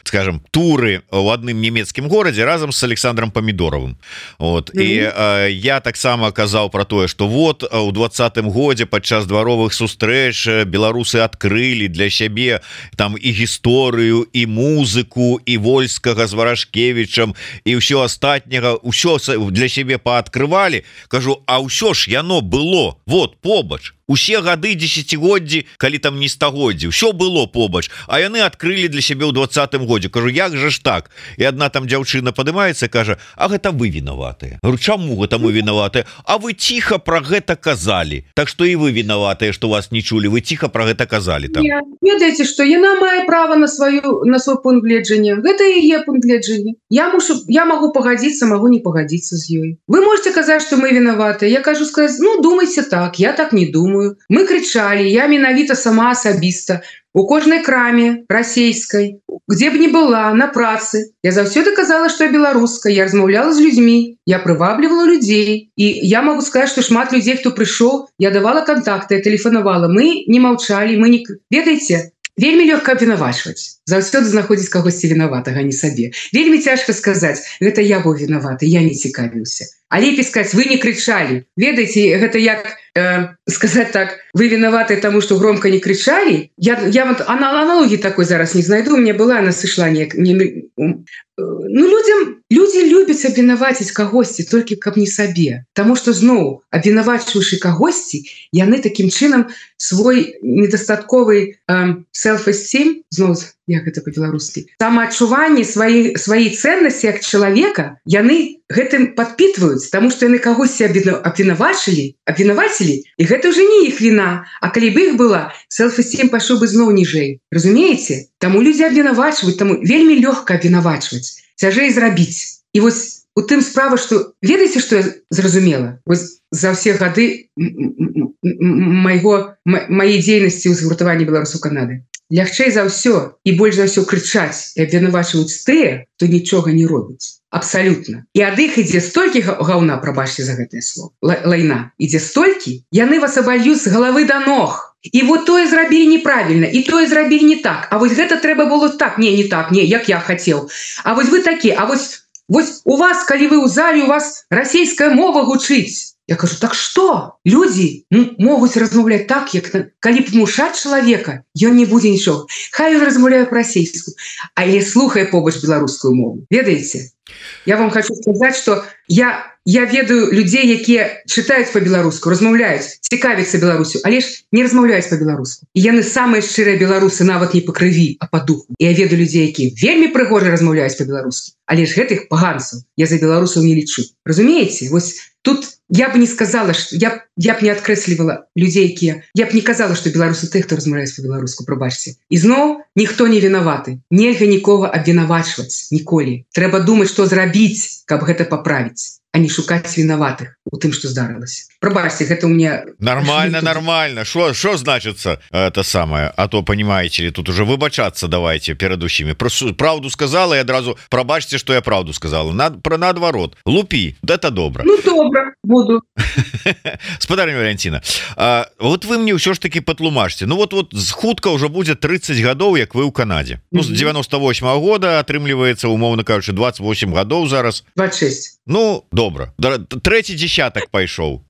скажем, туры ў адным нямецкім горадзе разам з Александром Памідоровым. Вот. І я таксама казаў пра тое, што вот у 20-м годзе падчас дваровых сустрэч беларусы адкрылі для сябе там і гісторыю, і музыку, і Вольскага з Варашкевічам, і ўсё астатняга, ўсё для сябе пааткрывалі. Кажу, а ўсё ж яно было вот побач. Усе гады дзесяцігоддзі, калі там не стагоддзі, ўсё было побач, а яны адкрылі для сябе ў 20-м годзе. Кажу, як жа ж так? І адна там дзяўчына падымаецца, кажа, а гэта вы вінаватыя. Говорю, чаму гэта мы вінаватыя? А вы ціха пра гэта казалі. Так што і вы вінаватыя, што вас не чулі, вы ціха пра гэта казалі там. Ведаеце, што яна мае права на свой пункт гледжання. Гэта і яе пункт гледжання. Я магу пагадзіцца, магу не пагадзіцца з ёй. Вы можете казаць, што мы вінаватыя. Я кажу сказаць, ну, думайце так, я так не думаю. Мы кричали, я менавіта сама асабіста, у кожнай краме расейскай, где б ни была, на працы. Я заўсёды казала, што я беларуска, я размаўляла з людзьмі, я прываблівала людзей. І я могу сказаць, што шмат людзей, хто прыйшоў, я давала контакты, я тэлефанавала. Мы не маўчалі, мы не... Ведаеце, вельмі лёгка абвінавачваць. Заўсёды знаходзіць кагосьці вінаватага, не сабе. Вельмі цяжка сказаць, гэта я быў вінаваты, я не цікавіўся. А лепей сказаць, вы не кричалі. Ведаеце, гэта як сказаць так, вы вінаваты таму, што громко не кричалі. Я аналогіі такой зараз не знайду, у меня была, она сышла неяк. Ну, людзі любяць абвінаваціць кагосьці, толькі каб не сабе. Таму што зноў, абвінавачваючы кагосьці, яны такім чынам свой недастатковы self-esteem, зноў як гэта по-беларускі, самаадчуванне свае ценнасці як чалавека, яны гэтым падпітваюць, таму што яны кагосьці абвінавацілі, і гэта ўжо не іх віна. А калі б іх была, селф-эстим пайшоў бы зноў ніжэй. Разумееце? Таму людзі абвінавачваюць, таму вельмі лёгка абвінавачваць, цяжэй зрабіць. І вось у тым справа, што ведаеце, што я зразумела? Вось за ўсе гады маёй дзейнасці ў згуртаванні беларусаў Канады. Лягчэй за ўсё і больш за ўсё крычаць і абвінавачваюць тыя, хто нічога не робіць. Абсалютна. І ад іх ідзе столькі гаўна, прабачце за гэтае слово, лайна. Ідзе столькі, яны вас абальюць з галавы да ног. І вот тое зрабілі неправільна, і тое зрабілі не так. А вось гэта трэба было так, не так, не, як я хацеў. А вось вы такі, а вось у вас, калі вы ў зале, у вас расійская мова гучыць. Я кажу, так што? Людзі могуць размаўляць так, як калі прымушаць чалавека, ён не будзе нічога. Хай ён размаўляе па-расейску, але слухае побач беларускую мову. Ведаеце? Я вам хочу сказаць, што я ведаю людзей, якія чытаюць па-беларуску, размаўляюць, цікавяцца Беларусю, але ж не размаўляюць па-беларуску. І яны самыя шчырыя беларусы, нават не па крыві, а па духу. І я ведаю людзей, якія вельмі прыгожа размаўляюць па-беларуску, але ж гэтых паганцаў я за беларусаў не лічу. Разумееце? Вось тут я б не сказала, што я б не адкрэслівала людзей, якія... Я б не казала, што беларусы тых, хто размаўляюць па-беларуску, прабачце. І зноў ніхто не вінаваты. Нельга нікога абвінавачваць ніколі. Трэба думаць, што зрабіць, каб гэта паправіць, а не шукаць вінаватых у тым, што здарылася. Прабачце, гэта ў мне... Нормально. Шо значится это самое? А то, понимаете ли, тут уже выбачаться давайте перед усими. Правду сказала, и одразу пробачьте, что я правду сказала. Наоборот. Лупи, да это добро. Ну, добро, буду. Спадарня Валентина, вот вы мне ўсё ж таки патлумачьте. Ну вот хутка уже будет 30 годов, як вы ў Канаде. Ну, с 98-го года атрымліваецца, умоўно кажучы, 28 годов зараз. 26. Ну, добра. Трэці дзесятак пайшоў.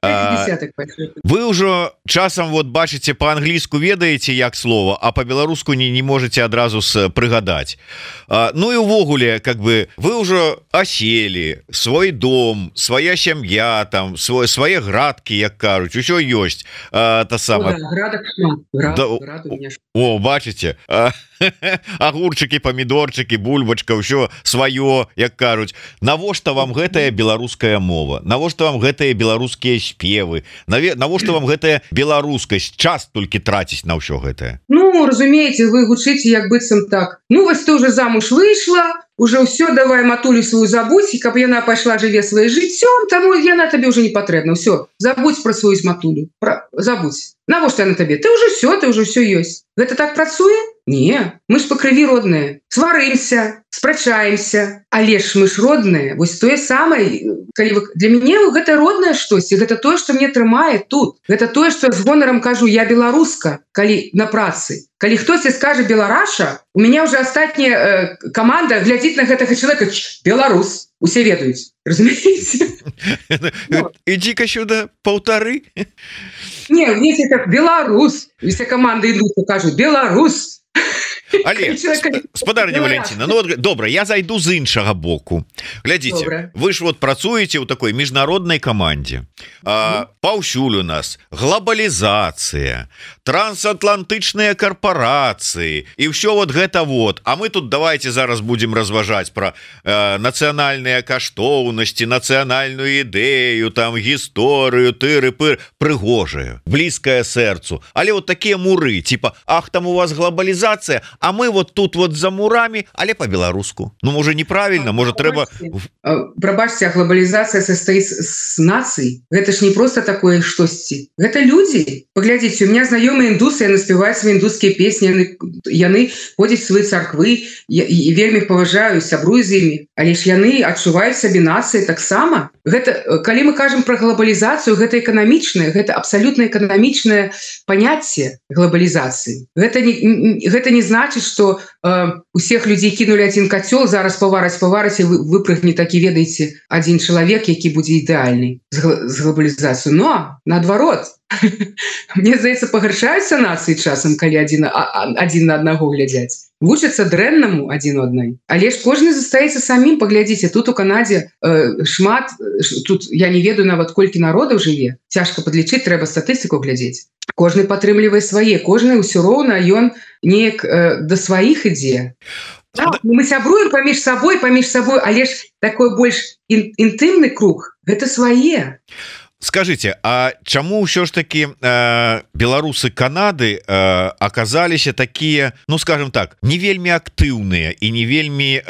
Вы ўжо часам вот бачыце па-англійску, ведаеце як слова, а па-беларуску не можете адразу прыгадаць. Ну і увогуле, как бы вы ўжо аселі, свой дом, свая сям'я, там свае градкі, як кажуць, усё ёсць. Та сама. О, бачыце. Агурчыкі, памідорчыкі, бульбачка, ўсё сваё, як кажуць. Навошта вам гэтая беларуская мова? Навошта вам гэтыя беларускія спевы? Навошта вам гэтая беларускасць? Час толькі траціць на ўсё гэтае. Ну, разумееце, вы гучыце як быццам так. Ну, вось ты уже замуж выйшла, уже ўсё, давай матулю сваю забудь, каб яна пайшла жыве сваім жыццём, таму яна табе ўжо не патрэбна. Ўсё, забудь пра сваю матулю. Забудь. Навошта яна табе? Ты ўжо ўсё ёсць. Гэта так працуе? Не, мы ж па крыві родныя. Сварымся, спрачаемся, але ж мы ж родныя. Вось тое самае, для мяне гэта роднае штосьці, гэта тое, што мне трымае тут. Гэта тое, што я з гонарам кажу, я беларуска, калі на працы. Калі хтосьці скажа белараша, у меня уже астатняя команда глядзіць на гэтага чалавека, беларус, усе ведаюць. Разумееце? Ідзі-ка сюда, паўтары. Не, видите, как беларус. Вся команда идут и кажут, беларус. Але, спадарня Валентина, ну вот, добра, я зайду з іншага боку. Глядзіце, вы ж вот працуеце ў такой міжнароднай камандзе. Паўсюль у нас глобалізацыя, трансатлантычныя карпорацыі і ўсё вот гэта вот. А мы тут давайте зараз будем разважаць пра нацыянальныя каштоўнасці, нацыянальную ідэю, там гісторыю, тыры-пыр, прыгожая, блізкая сэрцу. Але вот такія муры, типа, ах, там у вас глобалізацыя, а мы вот тут вот за мурами, але по-беларуску. Ну, может, неправильно, может, трэба... Прабачьте, глобализация состоит с нацией. Это ж не просто такое штосьці. Это люди. Поглядите, у меня знакомые индусы, яны спевают свои индусские песни, яны ходят в свои церквы, и вельмі их поважаю, сябрую з ими. Але ж яны адчуваюць сабе нацыі таксама. Гэта, калі мы кажем про глобализацию, гэта экономичное, гэта абсолютно экономичное понятие глобализации. Гэта не значит, что усіх людзей кинули один котел, зараз повараць и выпрыгне такі, ведаеце, один человек, які будзе ідэальны з глобалізацыю. Но наадварот, мне здаецца, пагаршаюцца нацыі часам, калі один на аднаго глядзяць. Вучацца дрэннаму адзін у адной. Але ж кожны застаецца самім. Паглядзіце, тут у Канадзе шмат, тут я не ведаю нават колькі народаў жыве. Цяжка падлічыць, трэба статыстыку глядзець. Кожны падтрымлівае свае, кожны ўсё роўна ён неяк да сваіх ідзе. Мы сябруем паміж сабой, але ж такой больш інтымны круг гэта свае. Скажите, а чаму ўсё ж таки беларусы Канады оказаліся такія, ну скажем так, не вельмі актыўныя і не вельмі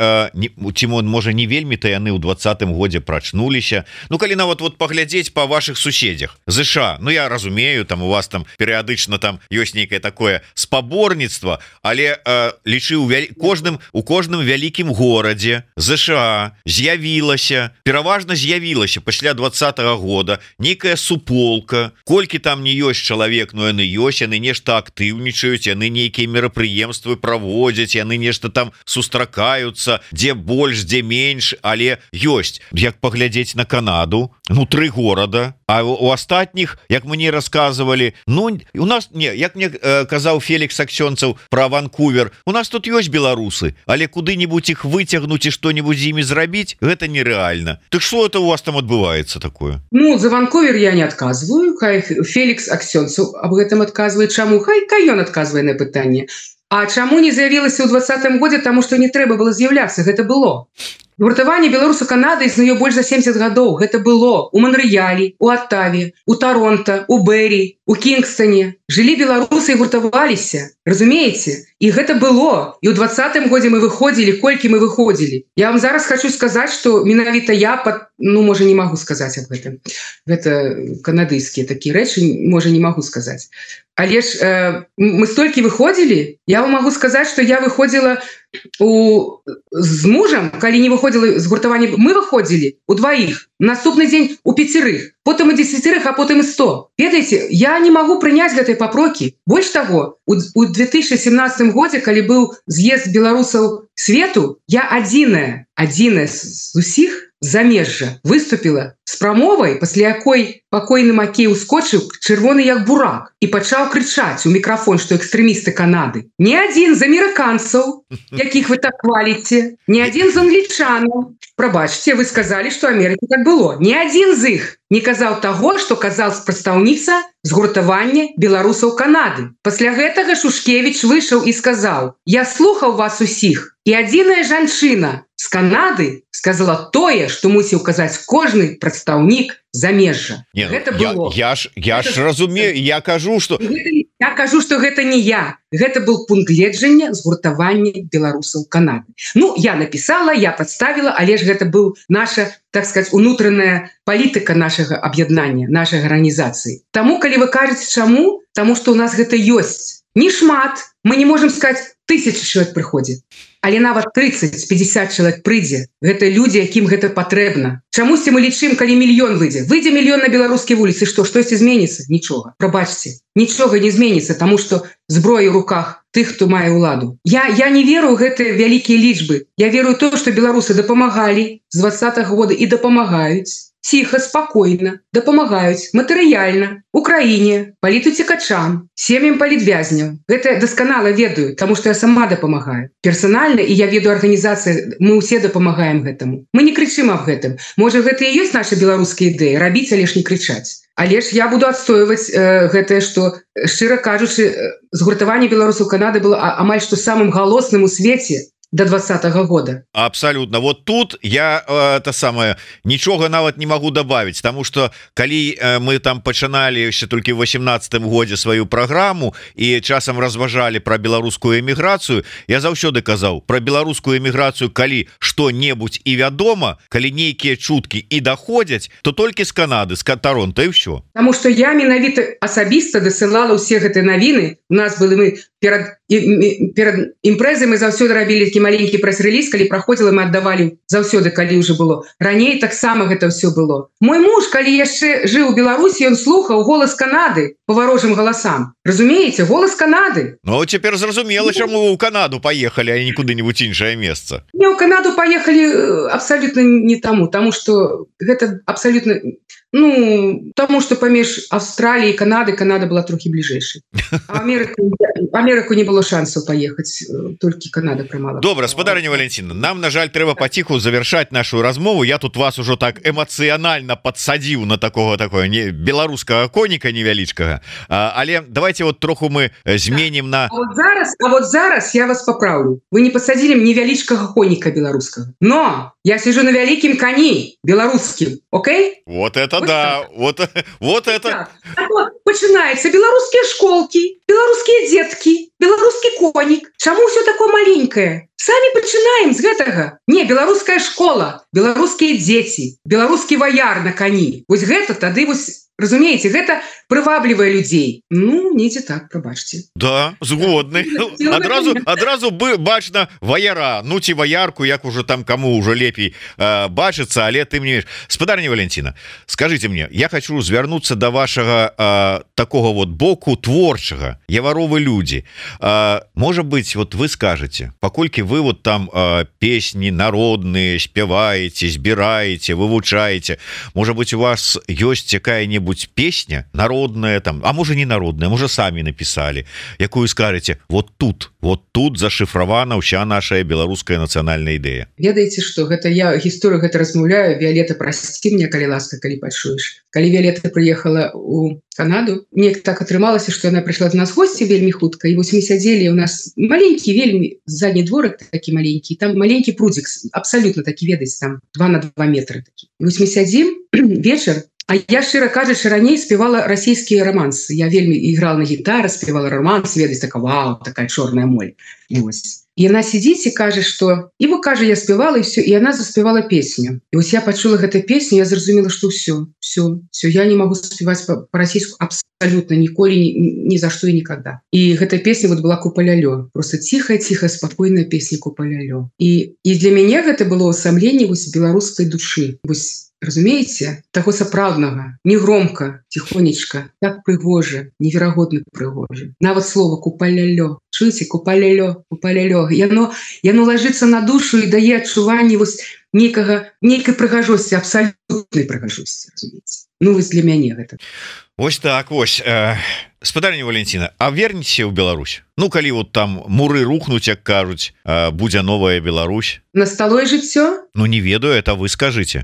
Тимон, можа не вельмі-то яны ў 20-м годзе прачнуліся. Ну калі нават вот паглядзець по ваших суседзях ЗША, ну я разумею, там у вас там перыядычна там ёсць нейкае такое спаборніцтва, але лічы у кожным вялікім горадзе ЗША з'явілася, пераважна з'явілася пасля 20-го года некая суполка, колькі там не ёсць чалавек, но яны ёсць, яны нешта актыўнічаюць, яны нейкія мерапрыемствы праводзяць, яны нешта там сустракаюцца, дзе больш, дзе менш, але ёсць. Як паглядзець на Канаду, ну 3 горада, а у астатніх, як мне рассказывалі, ну у нас не, як мне казаў Фелікс Аксёнцаў про Ванкувер, у нас тут ёсць беларусы, але куды-нибудь іх выцягнуць і што-нибудь з імі зрабіць, гэта нереальна. Так что это у вас там адбываецца такое? Ну за Ванкувер я не адказваю, хай Фелікс Аксёнцаў аб гэтым адказвае, чаму хай ён адказвае на пытанне. А чаму не з'явілася ў 20-м годзе, таму што не трэба было з'яўляцца, гэта было. Гуртаванне беларусаў Канады існуе больш за 70 гадоў. Гэта было у Монрэале, у Оттаве, у Торонто, у Бэрі, у Кінгстоне. Жылі беларусы і гуртаваліся. Разумееце? І гэта было. І ў 20-м годзе мы выходзілі, колькі мы выходзілі. Я вам зараз хочу сказаць, што менавіта я, ну, можа, не магу сказаць аб гэтым. Гэта канадыйскія такія рэчы, можа, не магу сказаць. Але ж мы столькі выходзілі, я вам магу сказаць, што я выходзіла з мужам, калі не выходзіла з гуртавання, мы выходзілі у 2, наступны дзень у 5, потым у 10, а потым і 100. Ведаеце, я не магу прыняць гэтай папрокі. Больш таго, у 2017 годзе, калі быў з'езд беларусаў свету, я адзіная з усіх замежжа выступіла з прамовай, пасля якой пакойны Макей ускочыў чырвоны як бурак і пачаў крычаць у мікрафон, што экстрэмісты Канады. Не адзін з амерыканцаў, якіх вы так хваліце, не адзін з англічанаў. Прабачце, вы сказалі, што Амерыкі так было. Не адзін з іх не казаў таго, што казаў прадстаўніца з гуртавання беларусаў Канады. Пасля гэтага Шушкевіч выйшаў і сказаў: «Я слухаў вас усіх, і адзіная жанчына з Канады сказала тое, што мусіў казаць кожны прадстаўнік замежжа». Гэта было. Я ж разумею, я кажу, што гэта не я. Гэта был пункт гледжання згуртавання беларусаў Канады. Ну, я написала, я прадставіла, але ж гэта был наша, так сказать, унутраная палітыка нашага аб'яднання, нашай арганізацыі. Таму, калі вы кажаце чаму, таму што ў нас гэта ёсць. Не шмат, мы не можем сказаць, 1000 чалавек прыходзіць. Але нават 30-50 чалавек прыйдзе. Гэта людзі, якім гэта патрэбна. Чамусьці мы лічым, калі мільён выйдзе. Выйдзе мільён на беларускія вуліцы, штосьці зменіцца? Нічога. Прабачце, нічога не зменіцца, таму што зброя ў руках тых, хто мае ўладу. Я не веру ў гэтыя вялікія лічбы. Я веру ў тое, што беларусы дапамагалі з 20-го года і дапамагаюць. Ціха, спакойна, дапамагаюць матэрыяльна Украіне, палітуцікачам, сем'ям палітвязняў. Гэта дасканала ведаю, таму што я сама дапамагаю. Персанальна, і я веду арганізацыі, мы ўсе дапамагаем гэтаму. Мы не крычым аб гэтым. Можа, гэта і ёсць наша беларуская ідэя, рабіць, але ж не крычаць. Але ж я буду адстойваць гэтае, што, шчыра кажучы, згуртаванне беларусаў Канады было амаль што самым галосным у свеце до 20-го года. Абсолютно. Вот тут я нічога нават не могу добавить, потому что калі мы там пачыналі еще только в 18-м годзе сваю программу и часам разважалі про беларускую эміграцыю, я заўсёды казаў про беларускую эміграцыю, калі што-небудзь і вядома, калі нейкія чуткі і доходзяць, то толькі з Канады, з Торонто і ўсё. Потому что я менавіта асабіста дасылала ўсе гэтыя навіны. У нас былі мы перад імпрэзай мы заўсёды рабілі такі маленькі прэс-рэліз, калі праходзіла, мы аддавалі заўсёды, калі ўжо было. Раней таксама гэта ўсё было. Мой муж, калі яшчэ жыў у Беларусі, ён слухаў голас Канады по варожым галасам. Разумееце, голас Канады. Ну, цяпер зразумела, чаму ў Канаду паехалі, а не куды-нибудь іншае месца. Не, ў Канаду паехалі абсалютна не таму, што гэта абсалютна Ну, тому что паміж Австраліі і Канада была трохі бліжэйшай. Амерыку не было шансаў паехаць, толькі Канада прымала. Добра, спадарыня Валентина, нам, на жаль, трэба паціху завершаць нашу размову. Я тут вас ужо так эмацыянальна падсадзіў на такое беларускага коніка невялічкага. Але давайте вот троху мы зменім на... А вот зараз я вас поправлю. Вы не посадили мне невялічкага коніка беларускага. Но я сижу на вялікім коні беларускім. Окей? Вот это вот да. Вот это. Так. А вот пачынаецца беларускія школки, беларускія детки, беларускі конік. Чаму все такое маленькое? Самі пачынаем з гэтага. Не, беларуская школа, беларускія дзеці, беларускі ваяр на коні. Вось гэта тады вось, разумееце, гэта прываблівае людзей. Ну, недзе так, прабачце. Да, згодны. Адразу бачна ваяра, ну ці ваярку, як уже там кому уже лепей бачыцца, але ты мне... Спадарня Валентина, скажите мне, я хочу звярнуцца до вашага такого вот боку творчага. Яваровы людзі. Может быть, вот вы скажете, паколькі вы вот там песни народные спяваете, збираете, вывучаете, может быть, у вас есть какая-нибудь песня народная там, а может не народная, может сами написали, якую скажете, вот тут зашифрована вся наша беларуская нацыянальная ідэя. Ведаеце, что гэта я гісторыю гэта размаўляю, Виолетта, прости меня, калі ласка, калі пачуеш. Калі Виолетта приехала у Канаду, мне так атрымалася, что она пришла до нас в гости вельмі хутка, и вось мы сядзелі, у нас маленький вельмі задний дворик такі маленький, там маленький прудзік, абсолютно такі, ведаеце, там 2 на 2 метры такі. І вось мы сядзім вечар. А я, шчыра кажучы, раней спевала расійскія романсы. Я вельмі играла на гітары, спевала романс, ведаць, такая, вау, такая чорная моль. І вось. І яна сидзіць і кажа, што... І вы кажа, я спевала, і все, і яна заспевала песню. І вось я пачула гэту песню, я зразумела, што все, я не могу спеваць по-расійску абсолютно ніколі, ни за что и никогда. И эта песня вот была «Купа-ля-лё». Просто тихая, спокойная песня «Купа-ля-лё». И для меня это было усамленне вось беларускай душы. Вось, разумееце, таго сапраўднага, не громко, тихонечка, так прыгожа, неверагодна прыгожа. Нават слова «Купа-ля-лё». Чуеце, «Купа-ля-лё», «Купа-ля-лё». Яно ложится на душу и дае адчуванне вось нейкай прыгажосці, абсолютнай прыгажосці, разумееце. Ну, вось для мяне гэта. Вось так, вось. Спадарня Валентина, а вернеце ў Беларусь? Ну, калі вот там муры рухнуць, як кажуць, будзе новая Беларусь. Настало жыццё? Ну, не ведаю, это вы скажыце.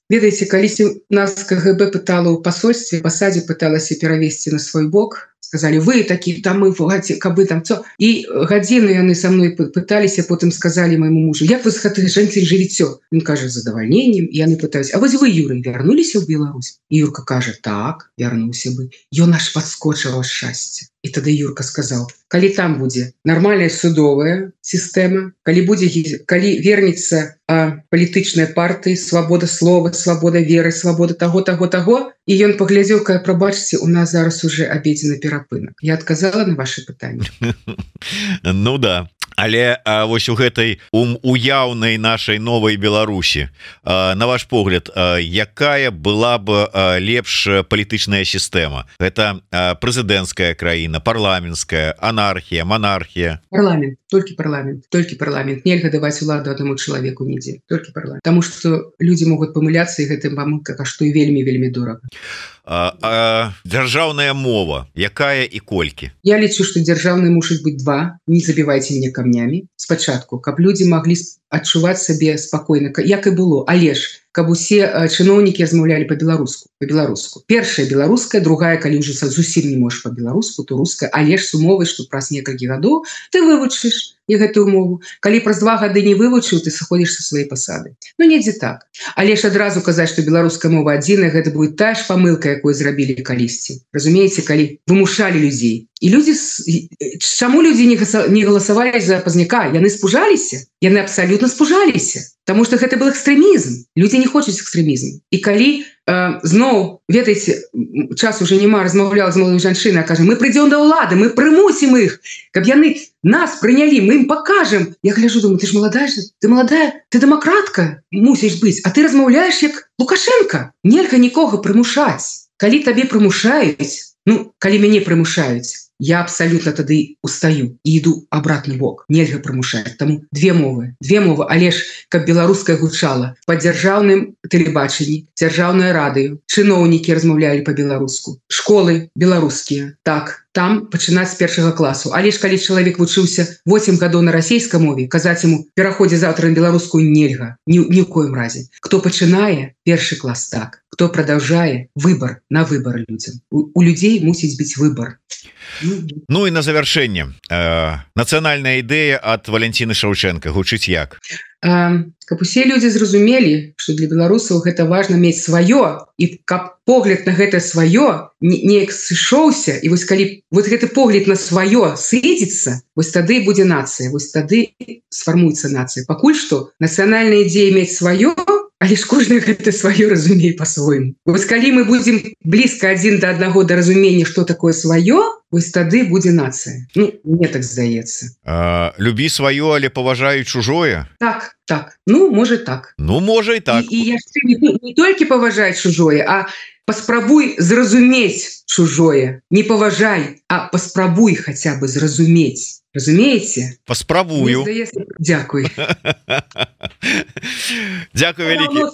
Ведаеце, калісьці нас КГБ пытала ў пасольстве, пасадзе пыталася перавесці на свой бок. Сказали, вы такі, там мы, кабы там, цо. І гадзіну яны са мной пыталіся, потым сказали моему мужу, як вы з гэтай жанцай жывіцё? Ён кажа, з задавальненнем. І яны пытаюць, а вось вы, Юрый, вярнуліся ў Беларусь? І Юрка кажа, так, вярнуўся бы. Ён аж падскочыў ад шчасця. І тады Юрка сказал, калі там будзе нармальная судовая сістэма, калі вернецца палітычная партыя, свабода слова, свабода веры, свабода таго, і ён паглядзеў, кая, прабачце, у нас зараз уже абедзены перапынак. Я адказала на ваше пытанне. Ну да. Але вось у гэтай уяўнай нашай новай Беларусі, на ваш погляд, якая была бы лепш палітычная сістэма? Гэта прэзідэнцкая краіна, парламенцкая, анархія, монархія? Парламент, толькі парламент. Нельга даваць уладу аднаму чалавеку нідзе, толькі парламент. Таму што людзі могуць памыляцца, і гэтым памылка каштуе вельмі дорага. Дзяржаўная мова, якая і колькі? Я лічу, што дзяржаўнай мусіць быць 2. Не забівайце мне камнямі. Спачатку, каб людзі маглі адчуваць сабе спакойна, як і было, але ж каб усе чыноўнікі размаўлялі по-беларуску. Першая беларуская, другая, калі ўжо зусім не можаш по-беларуску, то руская, але ж с умовай, што праз некалькі гадоў ты вывучыш і гэтую мову. Калі праз 2 гады не вывучыў, ты сыходзіш са сваёй пасады. Ну, недзе так. Але ж адразу казаць, што беларуская мова адзіная, гэта будет тая ж памылка, якую зрабілі калісьці. Разумееце, калі вымушалі людзей. І людзі, чаму людзі не галасавалі за Пазняка? Яны спужаліся? Яны абсалютна спужаліся. Таму што гэта был экстрэмізм. Людзі не хочуць экстрэмізму. І калі зноў, ведаеце, час уже няма, размаўляла з маладой жанчынай, кажа, мы прыйдзём да ўлады, мы прымусім іх, каб яны нас прынялі, мы ім пакажам. Я гляджу, думаю, ты ж маладая, ты дэмакратка мусіш быць, а ты размаўляеш як Лукашенко. Нельга нікога прымушаць. Калі табе прымушаюць, ну, калі мяне прымушаюць, я абсолютно тады устаю і іду обратный бок, нельга прымушаць. Таму две мовы, але ж каб беларуская гучала па дзяржаўным тэлебачанні, дзяржаўнае радыё, чыноўнікі размаўлялі па-беларуску, школы беларускія, так, там пачынаць з першага класу. Але ж калі чалавек вучыўся 8 гадоў на расійскай мове, казаць яму пераходзе завтра на беларускую нельга, ні ў коім разе. Хто пачынае першы клас, так, хто продолжае, выбор на выбор людям. У людей мусіць быць выбор. Ну і на завяршэнне нацыянальная ідэя ад Валентины Шаўчэнка гучыць як? Каб усе людзі зразумелі, што для беларусаў гэта важна мець сваё, і каб погляд на гэта сваё неяк сышоўся, і вось калі вот гэты погляд на сваё сыдзецца, вось тады будзе нацыя, вось тады сфармуецца нацыя. Пакуль што нацыянальная ідзея мець сваё, але ж кожны гэта сваё разумее па-свойму. Вось калі мы будзем блізка адзін да аднаго да разумення, што такое сваё, вось тады будзе нацыя. Ну, мне так здаецца. Любі сваё, але паважаю чужое? Так, так. Ну, можа так. Ну, можа і так. І яшчэ не толькі паважаць чужое, а паспрабуй зразумець чужое. Не паважай, а паспрабуй хаця бы зразумець. Разумееце? Паспрабую. Дзякуй. Дзякуй вялікі.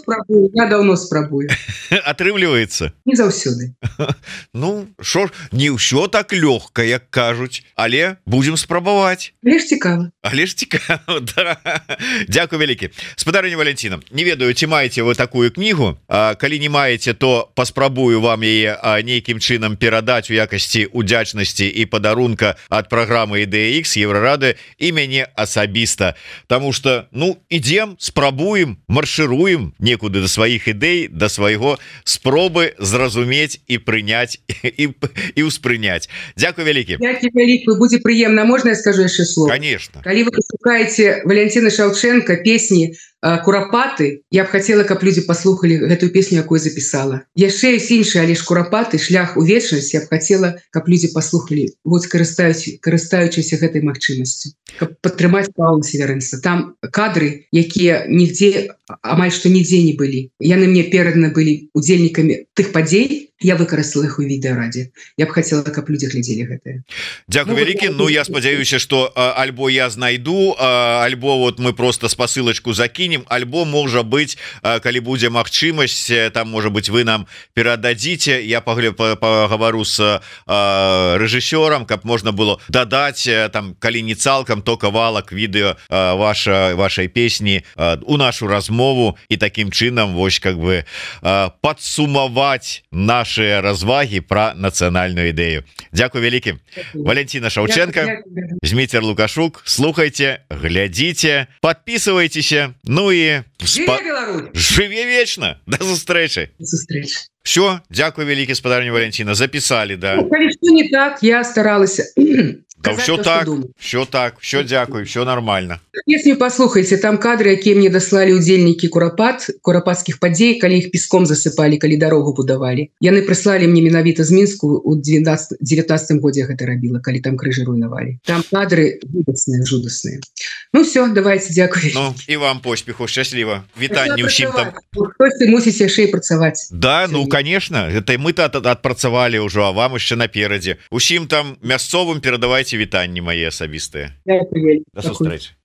Я даўно спрабую. Атрымліваецца? Не заўсёды. Ну, шо ж, не ўсё так лёгка, як кажуць, але будзем спрабаваць. Але ж цікава. Але ж цікава, да. Дзякуй вялікі. Спадарыня Валентина, не ведаю, ці маеце вы такую кнігу. Калі не маеце, то паспрабую вам яе нейкім чынам перадаць у якасці удзячнасці і падарунка ад праграмы «Ідэя Х» Еврорады і мяне асабіста. Таму што, ну, ідзем, спрабуем, маршыруем некуды да сваіх ідэй, да свайго спробы зразумець і прыняць і ўспрыняць. Дзякуй вялікі. Дзякуй вялікі, будзе прыемна. Можна я скажу яшчэ слово? Конечно. Калі вы пашукаеце Валентина Шаўчэнка песні «Курапаты», я б хацела, каб людзі паслухалі гэтую песню, якую запісала. Яшчэ ёсць іншыя, але ж «Курапаты», шлях у вечнасць, я б хацела, каб людзі паслухалі, вот карыстаючыся гэтай магчымасцю, каб падтрымаць Паўла Северынца. Там кадры, якія нігдзе, амаль што нідзе не былі. Яны мне пераданы былі удзельнікамі тых падзей, я выкарыстала іх у відэарадзе. Я б хацела, каб людзі глядзелі гэтае. Дзякуй вялікі. Ну, я спадзяюся, што альбо я знайду, альбо вот мы просто спасылачку закінем, альбо, можа быць, калі будзе магчымасць, там, можа быць, вы нам перададзіце, я пагавару з рэжысёрам, каб можна было дадаць, там, калі не цалкам, то кавалак відэо вашай песні у нашу размову і такім чынам, вось, как бы, падсумаваць наши развагі пра нацыянальную ідэю. Дзякуй вялікі. Валентина Шаўчэнка, Зміцер Лукашук, слухайце, глядзіце, подписывайтеся, ну і жыве вечна. До сустрэчы. Все, дзякуй вялікі, спадарня Валентина, записали, да. Калі што не так, я старалася. Да, все так, все дзякуй, все нормально. Песню послухайте, там кадры, якія мне даслалі удзельнікі курапатскіх падзей, калі іх песком засыпалі, калі дарогу будавалі. Яны прыслалі мне менавіта з Мінску у 19 годзе гэта рабіла, калі там крыжы руйнавалі. Там кадры жудасныя. Ну все, давайте, дзякуй. Ну, і вам поспеху, шчасліва. Вітанне ўсім там. Хтосьці мусіць яшчэ і працаваць. Да, ну, конечно, это мы-то адпрацавалі ўжо, а вам яшчэ наперадзе. Усім там мясцовым перадавайце вітанні мае асабістыя. Дзякуй. До сустрэчы.